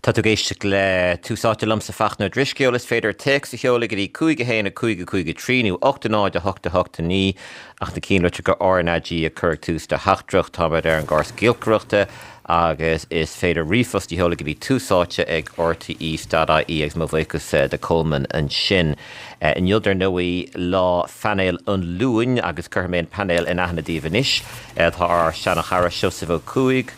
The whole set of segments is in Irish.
Tá tú ag éisteacht le Tús Áite liomsa Fachtna Ó Drisceoil. Is féidir téacs a sheoladh go dtí 5 1 5 5 3 nó 8 0 8 8 9 ach na cinnlitreacha RnaG a chur ag tús do theachtaireacht. Táimid ar an gcóras giolcaireachta agus is féidir ríomhphost a sheoladh go dtí túsáite ag rte.ie agus mo bhuíochas do Coleman ansin. Inniu dar ndóigh lá phainéal an Luain agus cuirfidh mé an painéal in aithne daoibh anois. Tá ár seana-chara Seosamh Ó Cuaig,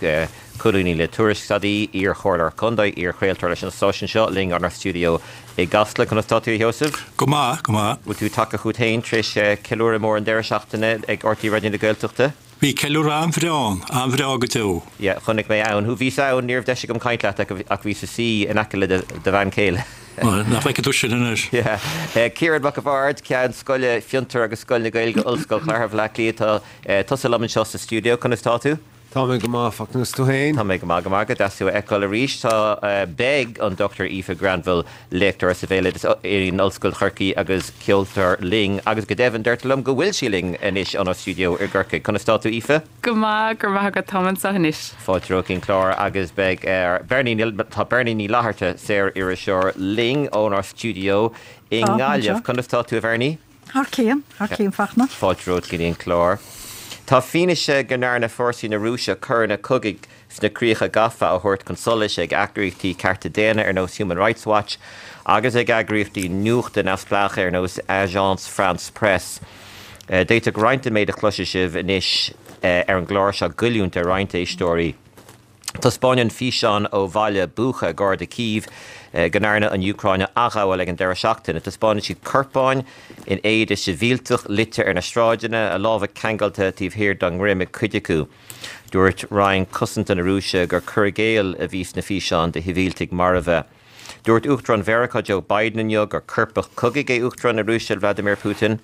Colúnaí le Tuairisc.ie, iar-chomhairleoir contae, iar-chraoltóir leis an stáisiún seo, linn ónár stiúideo i gCasla. Conas tá tú, a Sheosaimh? Go maith, go maith. Bhfuil tú tagtha chugat féin tar éis ceiliúradh mór an deireadh seachtaine ag RTÉ Raidió na Gaeltachta? Bhí ceiliúradh an-bhreá ann, an-bhreá go deo. Yeah, chonaic mé ann thú. Bhíos ann, ní raibh deis agam caint leat ach bhíos i suí in aice le do bhean chéile. Bhuel, nach bhfeicfidh tú sin anois. Yeah. Ciarán Mac a' Bhaird, Ceann Scoile Fiontar agus Scoil na Gaeilge, Ollscoil Chathair Bhaile Átha Cliath, tá tusa liom anseo sa stiúideo. Conas tá tú? Tá mé go maith, Fachtna, is tú féin? Tá mé go maith, go maith. Go deas thú a fheiceáil arís. Tá, beidh an Dr Aoife Granville, léachtóir sa Bhéaloideas in Ollscoil Chorcaí agus ceoltóir linn agus go deimhin deirtear liom go bhfuil sí linn anois ónár stiúideo i gCorcaigh. Conas tá tú Aoife? Go maith, go raibh maith agat, táim anseo anois. Fáilte romhat chuig an chlár agus beidh Bernie, tá Bernie Ní Fhlatharta, saor-iriseoir linn ónár stiúideo i nGaillimh. Conas tá tú a Bhernie? Thar cionn, thar cionn Fachtna. Fáilte romhat go dtí an clár. Tá fianaise go ndearna fórsaí na Rúise coireanna cogaidh sna críocha gafa á thabhairt chun solais ag eagraíochtaí cearta daonna ar nós Human Rights Watch agus ag eagraíochtaí nuachta neamhspleácha ar nós Agence France Presse. D'fhéadfadh roinnt den méid a chloisfidh sibh anois ar an gclár seo goilliúint ar roinnt éisteoirí. Taispeánann físeán ó bhaile Bucha gar do Kyiv go ndearnadh an Úcráin a athghabháil ag an deireadh seachtaine. Taispeánann siad corpáin in éide sibhialtach luite ar na sráideanna, a lámha ceangailte taobh thiar dá ndroim ag cuid acu. Dúirt Roinn Cosanta na Rúise gur cur i gcéill a bhí sna físeáin de shibhialtaigh marbha. Dúirt Uachtarán Mheiriceá Joe Biden inniu gur coirpeach cogaidh é Uachtarán na Rúise Vladimir Putin.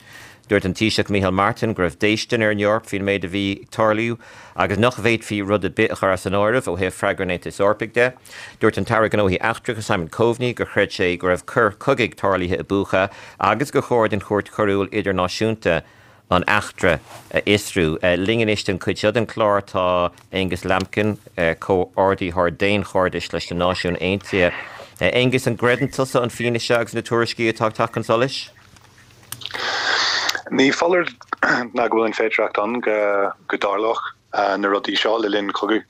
Dúirt an Taoiseach Micheál Martin go raibh déistin ar an Eoraip faoin méid a bhí ag tarlú agus nach bhféadfaí rud ar bith a chur as an áireamh ó thaobh freagra an Aontais Eorpaigh de. Dúirt an tAire Gnóthaí Eachtracha Simon Coveney gur chreid sé go raibh coir chogaidh tarlaithe i Bucha agus gur chóir don Chúirt Choiriúil Idirnáisiúnta an eachtra a fhiosrú. Linn anois don chuid seo den chlár tá Angus Lambkin, Comhordaitheoir Daonchairdis leis na Náisiúin Aontaithe. Angus, an gcreideann tusa an fianaise agus na tuairiscí atá ag teacht chun solais? Ní foláir ná go bhfuil an féidearthacht ann go dtarlódh na rudaí seo le linn cogadh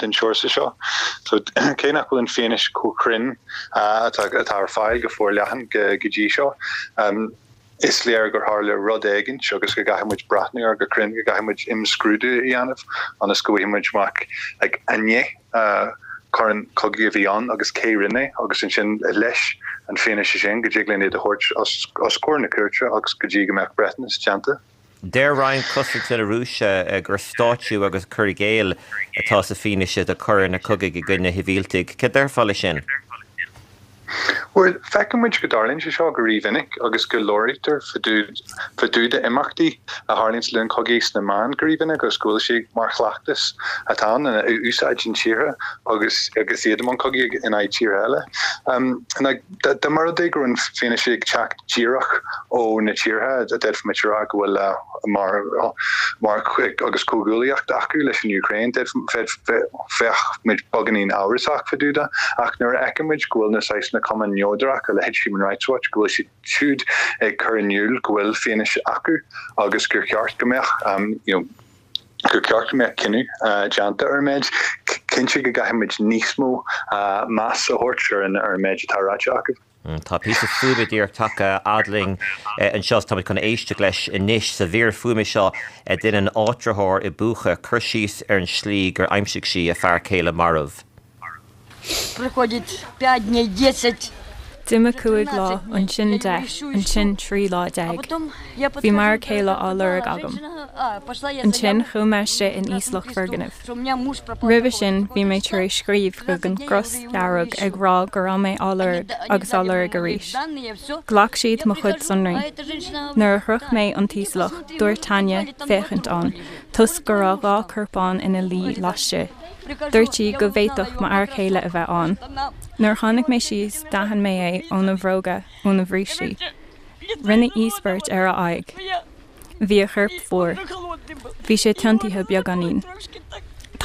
den sórt seo. So cé nach bhfuil an fianaise chomh cruinn atá ar fáil go forleathan go dtí seo, Is léir gur tharla rud éigint agus go gcaithfidh muid breathnú air go cruinn, go gcaithfidh muid imscrúdú a dhéanamh ionas go bhfaighidh muid amach an é coir cogaidh a bhí ann agus cé rinne é agus ansin leis an fianaise sin go dtig linn iad a thabhairt os comhair na cúirte agus go dtí go mbeadh breithiúnas déanta. Deir Roinn Cosanta na Rúise gur stáitsiú agus cur i gcéill atá sa fianaise de choireanna cogaidh i gcoinne shibhialtaigh. Cad déarfá leis sin? Bhuel, feiceann muid go dtarlaíonn sé seo go rímhinic agus go labhraítear fá dtaobh de imeachtaí a tharlaíonn le linn cogaí sna meáin go rímhinic agus go bhfuil sé mar chleachtas atá ann a úsáideann tíortha agus agus iad i mbun cogaidh in aghaidh tíortha eile. Dá mba rud é go raibh an fianaise ag teacht díreach ó na tíortha, d'fhéadfaimis a rá go bhfuil mar mar agus comhghuaillíocht acu leis an Úcráin, bheadh muid beagáinín amhrasach fá dtaobh de. Ach nuair a fheiceann muid go bhfuil na saghsanna cumainn neodracha, a leithéid Human Rights Watch, go bhfuil siad siúd ag cur in iúl go bhfuil fianaise acu agus gur cheart go mbeadh you know gur cheart go mbeadh cinneadh déanta ar an méid, cinnte go gcaithfidh muid níos mó meas a thabhairt ar an méid atá ráite acu. Tá píosa fuaime díreach tagtha fhad linn anseo is táimid chun éisteacht leis anois. Sa mhír fuaime seo déanann áitritheoir i Bucha cur síos ar an slí gur aimsigh sí a fear céile marbh. D'imigh cúig lá, ansin 10, ansin 13 lá. Bhí m'fhear céile á lorg agam. Ansin chuaigh mé istigh in íoslach foirgnimh. Roimhe sin bhí mé tar éis scríobh chuig an gCros Dhearg ag rá go raibh mé á lorg agus á lorg arís. Ghlac siad mo chuid sonraí. Nuair a shroich mé an t-íoslach, dúirt Tanya féachaint ann, toisc go raibh 2 corpán ina luí laistigh. Dúirt sí go bhféadfadh m'fhear céile a bheith ann. Nuair a tháinig mé síos, d'aithin mé é óna bhróga, óna bhrístí. Rinneadh íospairt ar a aghaidh. Bhí a chorp fuar. Bhí sé tiontaithe beagáinín.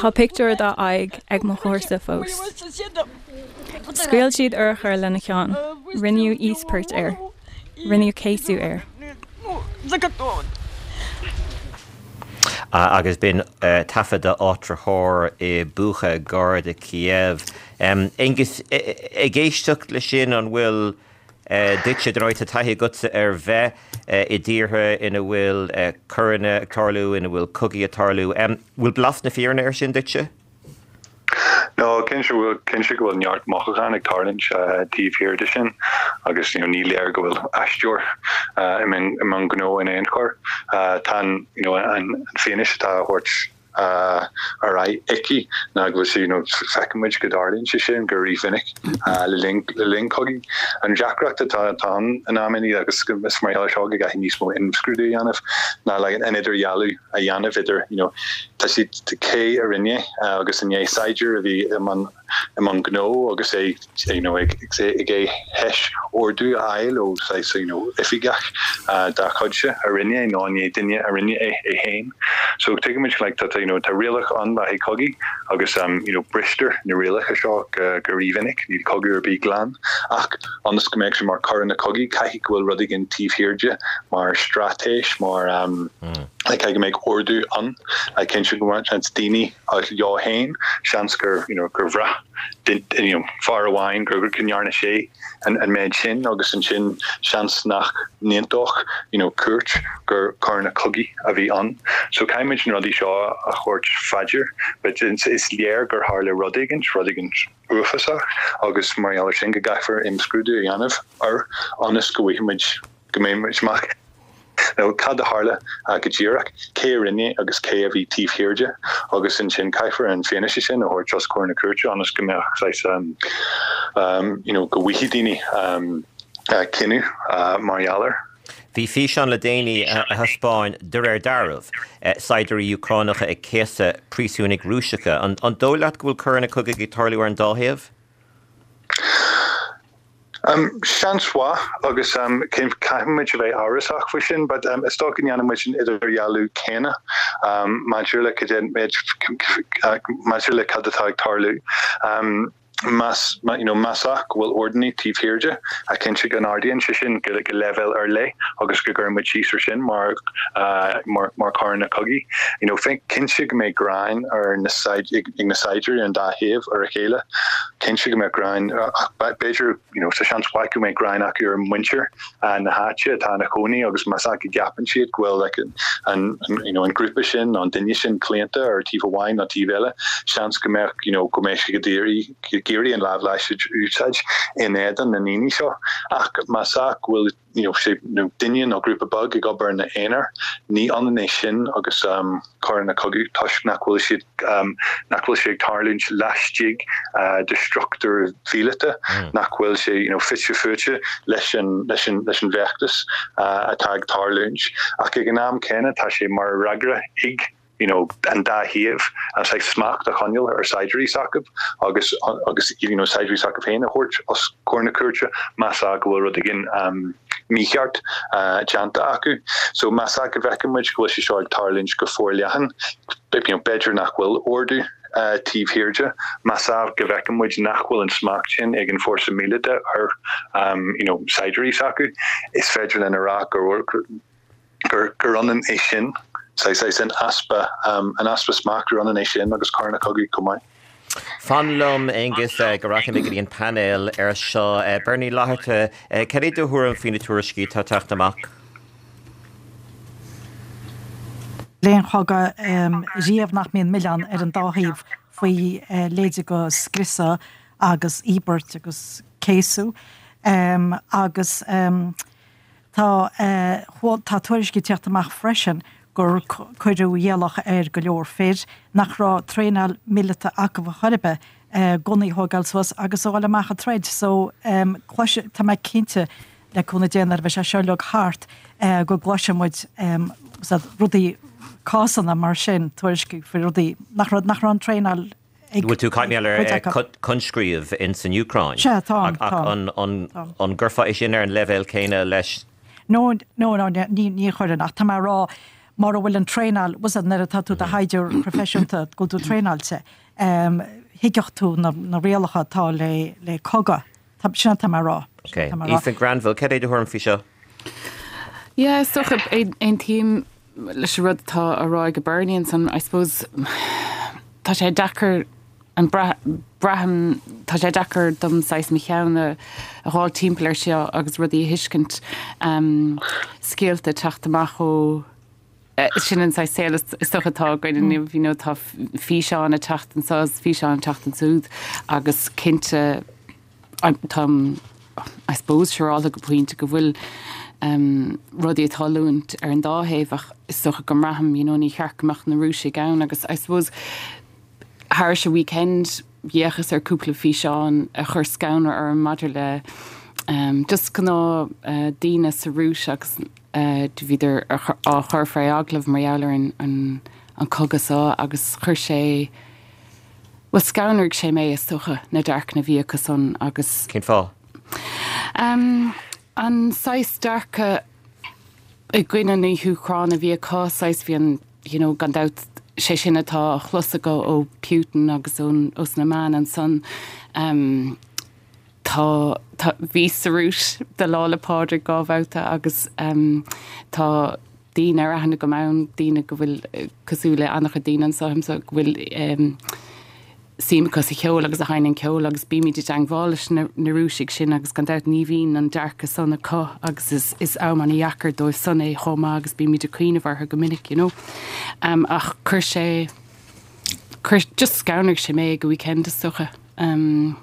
Tá pictiúr dá aghaidh ag mo chomharsa fós. Scaoil siad urchar lena cheann. Rinneadh íospairt air. Rinneadh céasadh air. Agus b'in taifead d'áitritheoir i Bucha gar do Kiev. Aengus, ag éisteacht leis sin, an bhfuil duitse, dar ndóigh tá taithí agatsa ar bheith i dtíortha ina bhfuil coireanna ag tarlú, ina bhfuil cogaí ag tarlú, bhfuil blas na fírinne air sin duitse? No, cinnte bhfuil, cinnte go bhfuil neart mothúchán ag tarlúint taobh thiar de sin agus you know ní léir go bhfuil aisteoir i mbun gnó in aon chor. Tá an you know an fianaise atá á thabhairt ar aghaidh aici ná go bhfuil sé you know feiceann muid go dtarlaíonn sé sin go rímhinic le linn le linn cogaidh. An deacracht atá atá ann in amannaí agus is mar gheall air seo go gcaithfidh níos mó imscrúdú a dhéanamh ná like an idirdhealú a dhéanamh idir you know tá siad cé a rinne é agus an é saighdiúir a bhí i mbun i mbun gnó agus é you know ag ag é théis ordú a fháil ó saghas you know oifigeach dá chuidse a rinne é nó an é duine a rinne é é féin. So tuigimid like tá you know tá rialacha ann le haghaidh cogaidh agus you know bristear na rialacha seo go go rímhinic, níl cogadh ar bith glan ach ionas go mbeadh sé mar coireanna cogaidh caithfidh go bhfuil rud éigin taobh thiar de mar straitéis mar caithfidh go mbeadh ordú ann, cinnte go mbeadh seans daoine leo féin, seans gur you know gur bhraith you know fear amháin gur go ndearna sé an an méid sin agus ansin seans nach n-aontódh you know cúirt gur coireanna cogaidh a bhí ann. So caithfimid na rudaí seo a thabhairt faoi dear but is léir gur tharla rud éigin, rud éigin uafásach agus mar gheall ar sin go gcaithfear imscrúdú a dhéanamh air ionas go bhfaighimid go mbeidh muid amach now cad a tharla go díreach, cé a rinne agus cé a bhí taobh thiar de agus ansin caithfear an fianaise sin a thabhairt os comhair na cúirte ionas go mbeadh saghas you know go bhfaighidh daoine cinneadh mar gheall air. Bhí físeán le déanaí a thaispeáin, de réir dealraimh, saighdiúirí Úcránacha ag céasadh príosúnaigh Rúiseacha. An dóigh leat go bhfuil coireanna cogaidh ag tarlú ar an dá thaobh? Seans mhaith, agus caithfimid a bheith amhrasach faoi sin, but is dócha go ndéanann muid an idirdhealú céanna maidir le maidir le cad atá ag tarlú. Más you know más ea go bhfuil ordannaí taobh thiar de, cinnte go n-ardaíonn sé sin go leibhéal ar leith agus go gcuireann muid síos ar sin mar mar mar choireanna cogaidh. You know cinnte go mbeidh gráin ar na ag na saighdiúirí ar an dá thaobh ar a chéile. Cinnte go mbeadh gráin, b'fhéidir, you know, tá seans mhaith go mbeidh gráin acu ar mhuintir na háite atá ina chónaí agus más ea go gceapann siad go bhfuil like, an, you know, an grúpa sin nó an duine sin claonta ar taobh amháin nó taobh eile, seans go mbeadh, you know, go mbeidh siad ag iarraidh an lámh láidir a úsáid in éadan na ndaoine seo. Ach más ea go bhfuil you know, sé nó duine nó grúpa beag ag obair ina aonar, ní ionann é sin agus coireanna cogaidh toisc nach bhfuil siad, nach bhfuil sé ag tarlúint laistigh de struchtúr mhíleata, nach bhfuil sé you know, fite fuaite leis an, leis an, leis an bhfeachtas atá ag tarlúint. Ach ag an am céanna tá sé mar fhreagra ag. you know an dá thaobh an saghas smacht a choinneáil ar saighdiúirí s'acu agus agus you know saighdiúirí s'acu féin a thabhairt os comhair na cúirte más ea go bhfuil rud éigin um, mícheart uh, déanta acu. So más ea go bhfeiceann muid go bhfuil sé seo ag tarlúint go forleathan, you know, b'fhéidir nach bhfuil ordú uh, taobh thiar de, más ea go bhfeiceann muid nach bhfuil an smacht sin ag an fórsa míleata ar um, you know, saighdiúirí s'acu, is féidir linn a rá gur gur ionann é sin, saghas an easpa, an easpa smacht, gur ionann é sin agus coireanna cogaidh chomh maith. Fan liom, Aengus, go rachaidh mé go dtí an painéal ar seo. Bernie Ó Flaithearta, cad é do thuairim faoi na tuairiscí atá ag teacht amach? Le aon chogadh riamh nach mbíonn milleán ar an dá thaobh faoi leithéidí de scriosadh agus íobairt agus céasadh agus Tá tá tuairiscí ag teacht amach freisin gur cuireadh iallach ar go leor fir nach raibh traenáil míleata acu ar chor ar bith gunnaí a thógáil suas agus a dhul amach ag troid so cloisfidh, tá mé cinnte le cúnamh Dé nuair a bheidh sé seo uilig thart go gcloisfidh muid rudaí, cásanna mar sin, tuairiscí faoi rudaí nach raibh nach raibh an traenáil Bhfuil tú ag caint ar coinscríobh in san Úcráin? Sea, táim, Ach táim, an an gcuirfeá é sin ar an leibhéal céanna leis? No, no, no, ní ní chuirfinn, ach tá mé ag rá. Mura bhfuil an traenáil, bhfuil a fhios agat nuair atá tú i do shaighdiúir proifisiúnta, go bhfuil tú traenáilte, thuigfeadh tú na rialacha atá le cogadh. Sin atá mé a rá. Ok. Aoife Granville, cad é do thuairim faoi seo? Yeah, is dócha, aontaím leis an rud atá á rá ag Bernie ansan, I suppose, tá sé deacair an braithim, tá sé deacair dom saghas mo cheann a dhul timpeall ar seo agus rudaí a thuiscint, scéalta ag teacht amach ó, sin an saghas saol is dócha atá againn inniu, you know, tá físeáin ag teacht anso is físeáin ag teacht ansúd agus cinnte táim, I suppose, siúrálta go pointe go bhfuil rudaí ag tarlúint ar an dá thaobh ach is dócha go mbraithim, you know, ní cheart go mbeadh na Rúisigh ann agus I suppose Thairis an weekend, d'fhéachas ar cúpla físeán a chuir scanradh orm maidir le just gnáth daoine sa Rúis agus do bhíodar á chur fé agallamh mar gheall ar an cogadh seo agus chuir sé, bhuel scanraigh sé mé is dócha, na dearcanna a bhí acu san agus. Cén fáth? An saghas dearcadh i gcoinne na hÚcráine a bhí acu, saghas bhí an you know, gan dabht, sé sin atá á chlos acu ó Putin agus ón, ós na meáin ansan. Um, tá, tá, bhíos sa Rúis do Lá 'le Pádraig 2 bhabhta agus um, tá daoine ar aithne agam ann, daoine go bhfuil, cosúil le an-chuid daoine anso, go bhfuil um, suim acu sa cheol agus a sheinneann ceol agus bímid i dteangmháil leis na Rúisigh sin agus gan dabht ní bhíonn an dearcadh san acu agus is is am an-dheacair dóibh san é chomh maith agus bímid ag cuimhneamh orthu go minic you know. Um, ach chuir sé chuir just scanraigh sé mé ag an weekend is dócha. Um,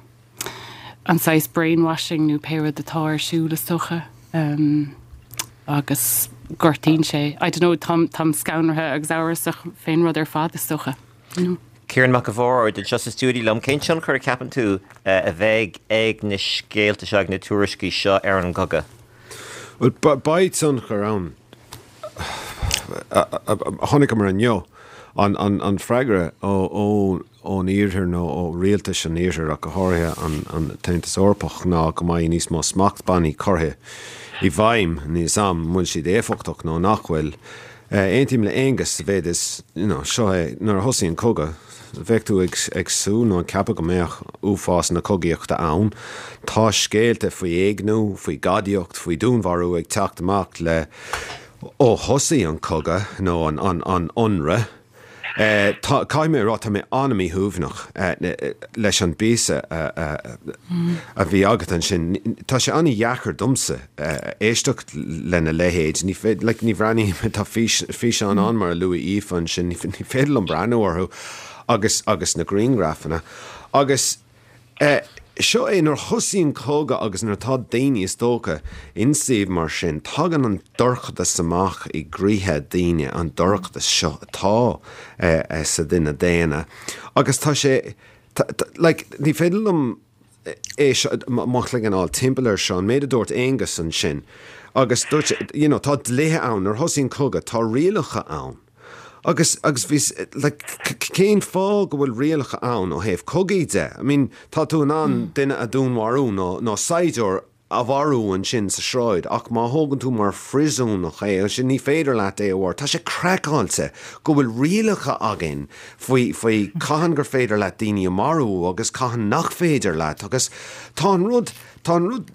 an saghas brainwashing nó pé rud atá ar siúl is dócha. Um, agus gortaíonn sé I don't know táim táim scanraithe agus amhrasach fén rud ar fad is dócha. You know. Ciarán Mac an Bhaird, anseo sa stiúideo liom. Cén tionchar a cheapann tú a bheidh ag na scéalta seo, ag na tuairiscí seo ar an gcogadh? Bhuel, beidh tionchar ann. Chonaiceamar inniu an freagra ón Iarthar nó ó rialtais an Iarthair ach go háirithe an tAontas Eorpach ná go mbeidh níos mó smachtbhannaí curtha i bhfeidhm. Níl a fhios agam an bhfuil siad éifeachtach nó nach bhfuil. Aontaím le Aonghus sa mhéid is, you know, seo é, nuair a thosaíonn cogadh, bheadh tú ag ag súil nó ag ceapadh go mbeadh uafás na cogaíochta ann. Tá scéalta faoi éigniú, faoi ghadaíocht, faoi dúnmharú ag teacht amach le ó thosaigh an cogadh nó an an an ionradh. Tá, caithfidh mé a rá, tá mé an-mhíshuaimhneach leis an bpíosa a bhí agat ansin. Tá sé an-dheacair domsa éisteacht lena leithéid. Ní féidir, like, ní bhreathnaím, tá físeáin ann mar a luaigh Aoife ansin, ní féidir liom breathnú orthu agus, agus na grianghrafanna. Agus. Seo é, nuair a thosaíonn cogadh agus nuair atá daoine, is dócha, in suíomh mar sin, tagann an dorchadas amach i gcroíthe daoine, an dorchadas seo atá sa duine daonna. Agus tá sé, like, ní féidir liom é seo, mo chloigeann a fháil timpeall air seo, an méid a dúirt Aonghus ansin, agus dúirt sé, you know, tá dlíthe ann, nuair a thosaíonn cogadh, tá rialacha ann. Agus, agus bhí, like, cén fáth go bhfuil rialacha ann ó thaobh cogaí de? I mean, tá tú in ann duine a dhúnmharú nó, nó saighdiúir a mharú ansin sa sráid ach má thógann tú mar phríosúnach é, ansin ní féidir leat é a mharú. Tá sé craiceáilte go bhfuil rialacha againn faoi, faoi cathain gur féidir leat daoine a mharú agus cathain nach féidir leat agus tá an rud, tá an rud,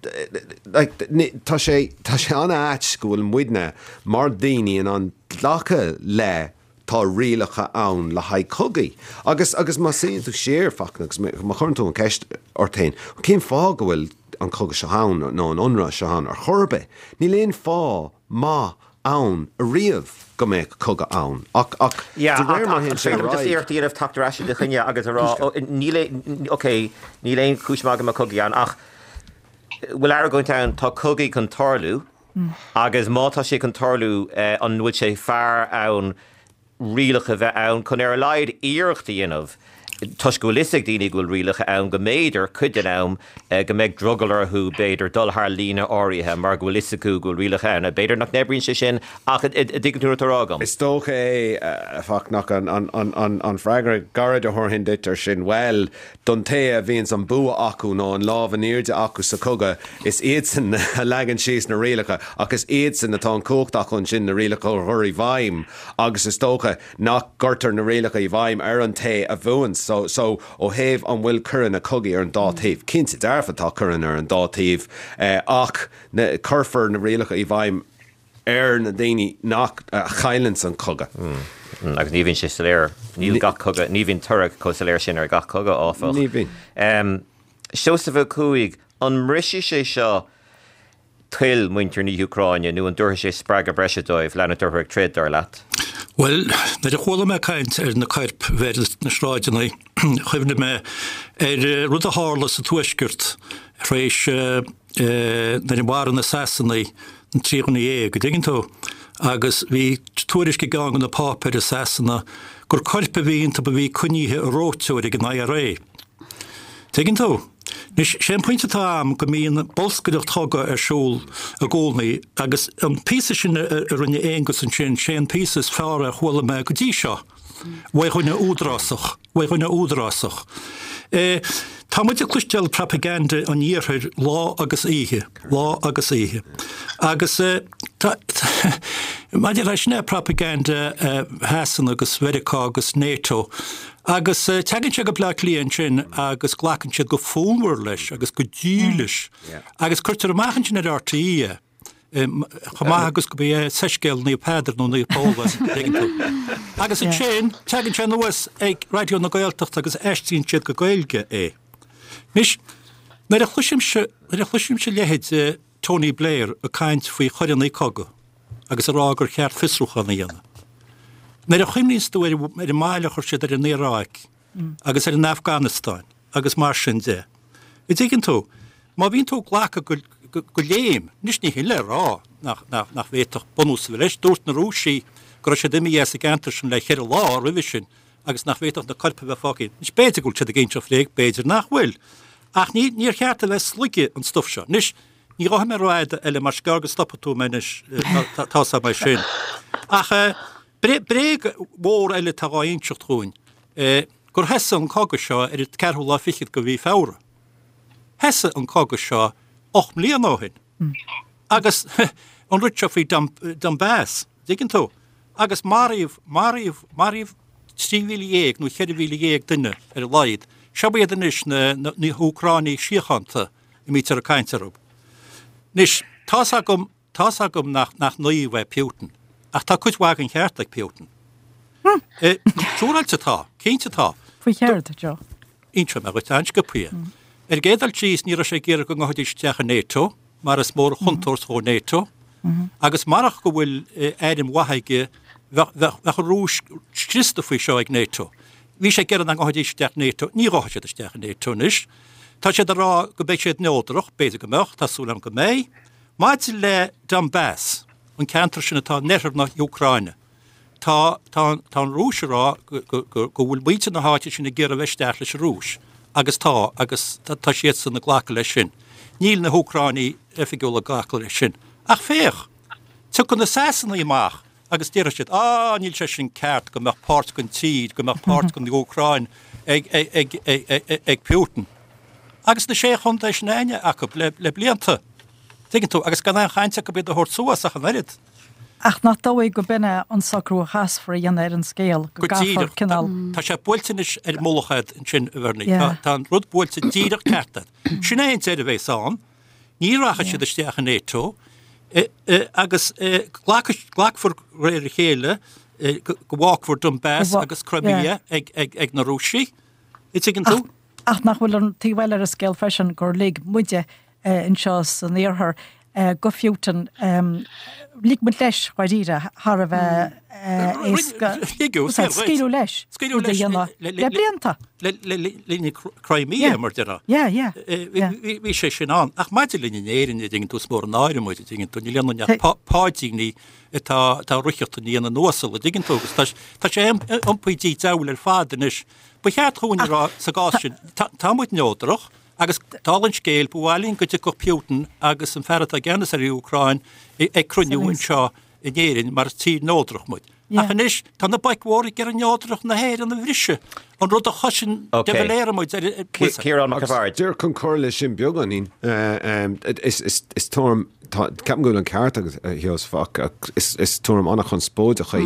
like, tá sé, tá sé an-ait go bhfuil muidne mar daoine in ann glacadh le tá rialacha ann le haghaidh cogaí. Agus, agus má suíonn tú siar, Fachtna, agus má chuireann tú an cheist ort féin, cén fáth go bhfuil an cogadh seo ann nó an ionradh seo ann ar chor ar bith? Níl aon fáth maith ann ariamh go mbeadh cogadh ann. Ach, ach de réir mar a théann sé ar aghaidh. Iarracht a dhéanamh teacht ar ais i do choinne agus a rá, níl, ok, níl aon chúis maith go mbeadh cogaí ann, ach bhfuil argóint ann, tá cogaí chun tarlú, Agus má tá sé chun tarlú, an bhfuil sé fearr ann rialacha a bheith ann chun ar a laghad iarracht a dhéanamh? toisc go bhfuil fhios ag daoine go bhfuil rialacha ann, go mb'fhéidir, cuid den am, go mbeidh drogall orthu, b'fhéidir, dul thar líne áirithe mar go bhfuil fhios acu go bhfuil rialacha ann. B'fhéidir nach n-oibríonn sé sin ach an dtuigeann tú an rud atá á rá agam? Is dócha é, a Fachtna, an freagra gairid a thabharfainn duit ar sin, bhuel, don té a bhíonns an bua acu nó an lámh in airde acu sa chogadh, is iadsan a leagann síos na rialacha ach is iadsan atá an chumhacht acu ansin na rialacha a chur i bhfeidhm agus is dócha nach gcuirtear na rialacha i bhfeidhm ar an té a bhuann. So, so ó thaobh an bhfuil coireanna cogaidh ar an dá taobh, cinnte dearfa tá coireanna ar an dá taobh ach cuirfear na rialacha i bhfeidhm ar na daoine nach, a chailleanns an cogadh. Agus ní bhíonn sé soiléir, níl gach cogadh, ní bhíonn toradh chomh soiléir sin ar gach cogadh, áfach. Ní bhíonn. Seosamh Ó Cuaig, an mbrisfidh sé seo toil muintir na hÚcráine nó an dtabharfaidh sé spreagadh breise dóibh leanúint orthu ag troid, dar leat? Bhuel, nuair a chuala mé caint ar na coirp a bheith ar na sráideanna, chuimhnigh mé ar rud a tharla sa Tuaisceart tar éis nuair a mharaigh na Sasanaigh na 13 dhuine, an dtuigeann tú? Agus bhí tuairisc i gceann de na páipéir i Sasana gur coirp a bhí iontu a bhí coinnithe i reoiteoir ag an IRA. Tuigeann tú? Anois, sé an pointe atá a'm go mbíonn bolscaireacht chogaidh ar siúl i gcónaí agus an píosa sin a rinne Aonghus ansin, sé an píosa is fearr a chuala mé go dtí seo uaidh dhuine údarásach, uaidh dhuine údarásach. Tá muid ag cloisteáil propaganda an Iarthair lá agus oíche, lá agus oíche. Agus tá, maidir leis sin é propaganda Shasana agus Mheiriceá agus NATO, Agus tagann sé go Bleá Cliath ansin agus glacann siad go fonnmhar leis agus go dílis agus cuirtear amach ansin ar RTÉ é, chomh maith agus go mba é soiscéal Naomh Peadar nó Naomh Pól é, tuigeann tú. Agus ansin tagann sé anuas ag Raidió na Gaeltachta agus aistríonn siad go Gaeilge é. Anois, nuair a chloisimse, nuair a chloisimse leithéid Tony Blair ag caint faoi choireanna cogaidh agus ag rá gur cheart fiosrúchán a dhéanamh. Nuair a chuimhníonns tú ar an mbail a chuir siad ar an Iaráic agus ar an Afganastáin agus mar sin de, an dtuigeann tú, má bhíonn tú ag glacadh go léim, anois ní hin le rá nach bhféadfadh bunús a bheith leis, dúirt na Rúisigh go raibh siad imithe as an gceantar sin le cheithre lá roimhe sin agus nach bhféadfadh na coirp a bheith fágtha. Anois b'fhéidir go bhfuil siad ag inseacht bhréag, b'fhéidir nach bhfuil. Ach ní, níor cheart a bheith ag sloigeadh an stuif seo. Anois, ní ghabhfaidh mé rófhada eile mar is gearr go stopfaidh tú mé anois, tá's agam é sin. Ach bréag mhór eile atá dhá inseacht dhúinn, gur thosaigh an cogadh seo ar an ceathrú lá fichead de mhí Feabhra. Thosaigh an cogadh seo 8 mbliana ó shin. Agus an rud seo faoi Donbass, dtuigeann tú? Agus maraíodh, maraíodh, maraíodh 13,000 nó 14,000 duine ar a laghad. Seo iad anois na, na, na hÚcráinigh síochánta a mbítear ag caint orthu. Anois, tá's agam, tá's agam nach, nach naomh é Putin, ach tá cuid mhaith den cheart ag Putin. Siúráilte tá, cinnte tá. Faoi chéard, Joe? Inseoidh mé dhuit an-sciobtha. Ar an gcéad dul síos, ní raibh sé ag iarraidh go ngabhfaidís isteach i NATO, mar is mór an chontúirt dhó NATO, agus marach go bhfuil airm mhaith aige, bheadh an Rúis scriosta faoi seo ag NATO. Bhí sé ag iarraidh nach ngabhfaidís isteach NATO, ní ghabhfaidh siad isteach i NATO anois. Tá siad ag rá go mbeidh siad neodrach, b'fhéidir go mbeadh, tá súil agam go mbeidh. Maidir le Donbass, an ceantar sin atá in oirthear na hÚcráine, Tá, tá, tá an Rúis ag rá go, go, go, go bhfuil muintir na háite sin ag iarraidh a bheith isteach leis an Rúis agus tá, agus tá, tá siadsan ag glacadh leis sin. Níl na hÚcráinigh oifigiúla ag glacadh leis sin. Ach féach, tiocfaidh na Sasanaigh amach agus déarfaidh siad, á, níl sé sin ceart go mbeadh páirt den tír, go mbeadh páirt den Úcráin ag, ag, ag, ag, ag, ag Putin. Agus na sé chontae sin againne acu le, le blianta. Tuigeann tú, agus gan aon chaint acu iad a thabhairt suas ach an oiread. Ach nach dóigh go b'in é an socrú a chaithfear a dhéanamh ar an scéal, go Go gcaithfear díreach. cineál. Tá sé buailte anois ar an mullach agat ansin, a Bhernie. Yeah. Tá an rud buailte díreach ceart agat. Sin é an deireadh a bheas ann. Ní rachaidh siad isteach i NATO agus glacfar réir a chéile go bhfágfar Donbass agus Crimea ag na Rúisigh. An dtuigeann tú? Ach nach bhfuil an taobh eile ar an scéal freisin gur lig muide anseo san iarthar go Putin, lig muid leis dháiríre thar a bheith éasca, scaoileadh leis, rud a dhéanamh le blianta. Le linn Crimea, mar déarfá. Yeah, yeah. Bhí sé sin ann. Ach maidir linn in Éirinn, an dtuigeann tú, is mór an náire muid, an dtuigeann tú, níl ionainn ach páidíní atá ag ritheacht i ndiaidh na n-uasal, an dtuigeann tú, agus tá sé iompaithe diabhal ar fad anois. Ba cheart dhúinn a rá sa gcás sin, tá muid neodrach agus dála an scéil, ba mhaith linn go dtiocfadh Putin agus an fear atá i gceannas ar an Úcráin ag cruinniú anseo in Éirinn mar is tír neodrach muid. Ach anois tá na boic mhóra ag iarraidh neodracht na hÉireann a bhriseadh, an rud a chosain de Valera muid ar Ciarán Mac an Bhaird. Díreach chun cur leis sin beagáinín, is tuairim, ceapaim go bhfuil an ceart agat, a Sheosaimh, ach is tuairim an-chonspóideach í.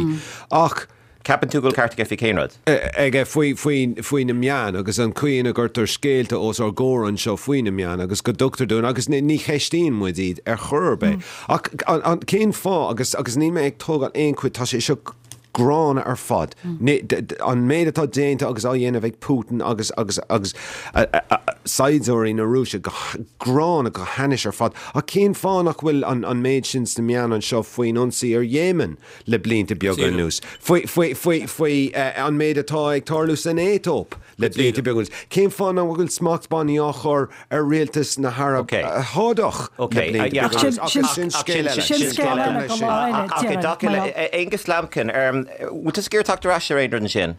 Ach. Ceapann tú go bhfuil ceart aige faoi cén rud? aige faoi, faoi, faoi na meáin agus an chaoi ina gcuirtear scéalta os ár gcomhair anseo faoi na meáin agus go dtugtar dúinn agus ní, ní cheistíonn muid iad ar chor ar bith. Ach an, an, cén fáth agus, agus níl mé ag tógáil aon chuid, tá sé seo gránna ar fad. Ní, d, d, an méid atá déanta agus á dhéanamh ag Putin agus, agus, agus a, a, a, saighdiúirí na Rúise go gránna, go hainnis ar fad. Ach cén fáth nach bhfuil an, an méid sin sna meáin anseo faoin ionsaí ar Yemen? le blianta beaga anuas, faoi an méid atá ag tarlú san Aetóip le blianta beaga anuas. Cén fáth nach bhfuil smachtbhannaí á chur ar rialtas na hAraib Shádach le blianta beaga anuas? Ach sin scéal eile. Sin scéal eile go lá eile, déarfainn. Aonghus Lambkin, bhfuil tusa ag iarraidh teacht ar ais ar aon rud ansin?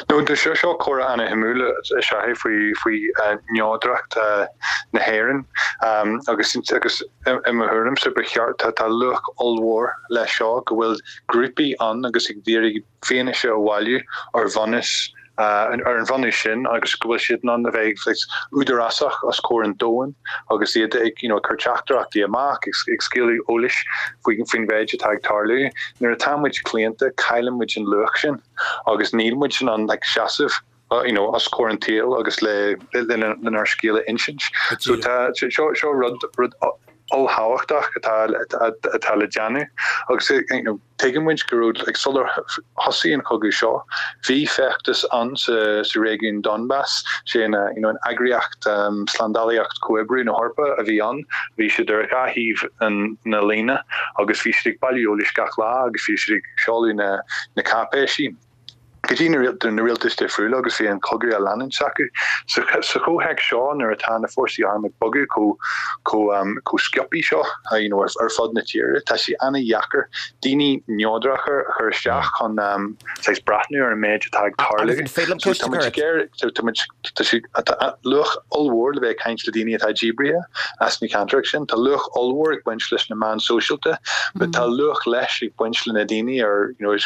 No, tá seo seo comhrá ana-shuimiúil is ea é faoi faoi neodracht na hÉireann agus agus i mo thuairimse ba cheart tá tá luach ollmhór leis seo go bhfuil grúpaí ann agus ag iarraidh fianaise a bhailiú ar bhunús ar an bhunús sin agus go bhfuil siad in ann a bheith saghas údarásach os comhair an domhain agus iad ag you know ag cur teachtaireachtaí amach ag ag scaoileadh eolais faoi faoin mhéid atá ag tarlú. Nuair atá muid claonta cailleann muid an luach sin agus níl muid in ann like seasamh you know os comhair an tsaoil agus le lenár scéal a insint. So tá seo seo rud rud ollthábhachtach atá atá le déanamh agus you know tuigeann muid go raibh like sular thosaigh an cogadh seo bhí feachtas ann sa sa réigiún Donbas sé an you know an eagraíocht um, slándálaíocht comhoibriú na hEorpa a bhí ann bhí siad ar dhá thaobh an na líne agus bhí siad ag bailiú eolais gach lá agus bhí siad ag seoladh na na cáipéisí go dtí na rialtais difriúla agus bhí an cogadh á leanúint acu. Sa chomhthéacs seo, nuair atá na fórsaí arm ag bogadh chomh sciobtha seo you know ar fud na tíre, tá sé an-dheacair daoine neodracha a chur isteach chun saghas breathnú ar an méid atá ag tarlú. Tá sé tá luach ollmhór le bheith ag caint le daoine atá díbrithe as na ceantracha sin. Tá luach ollmhór ag baint leis na meáin sóisialta, but tá luach leis ag baint le na daoine ar you know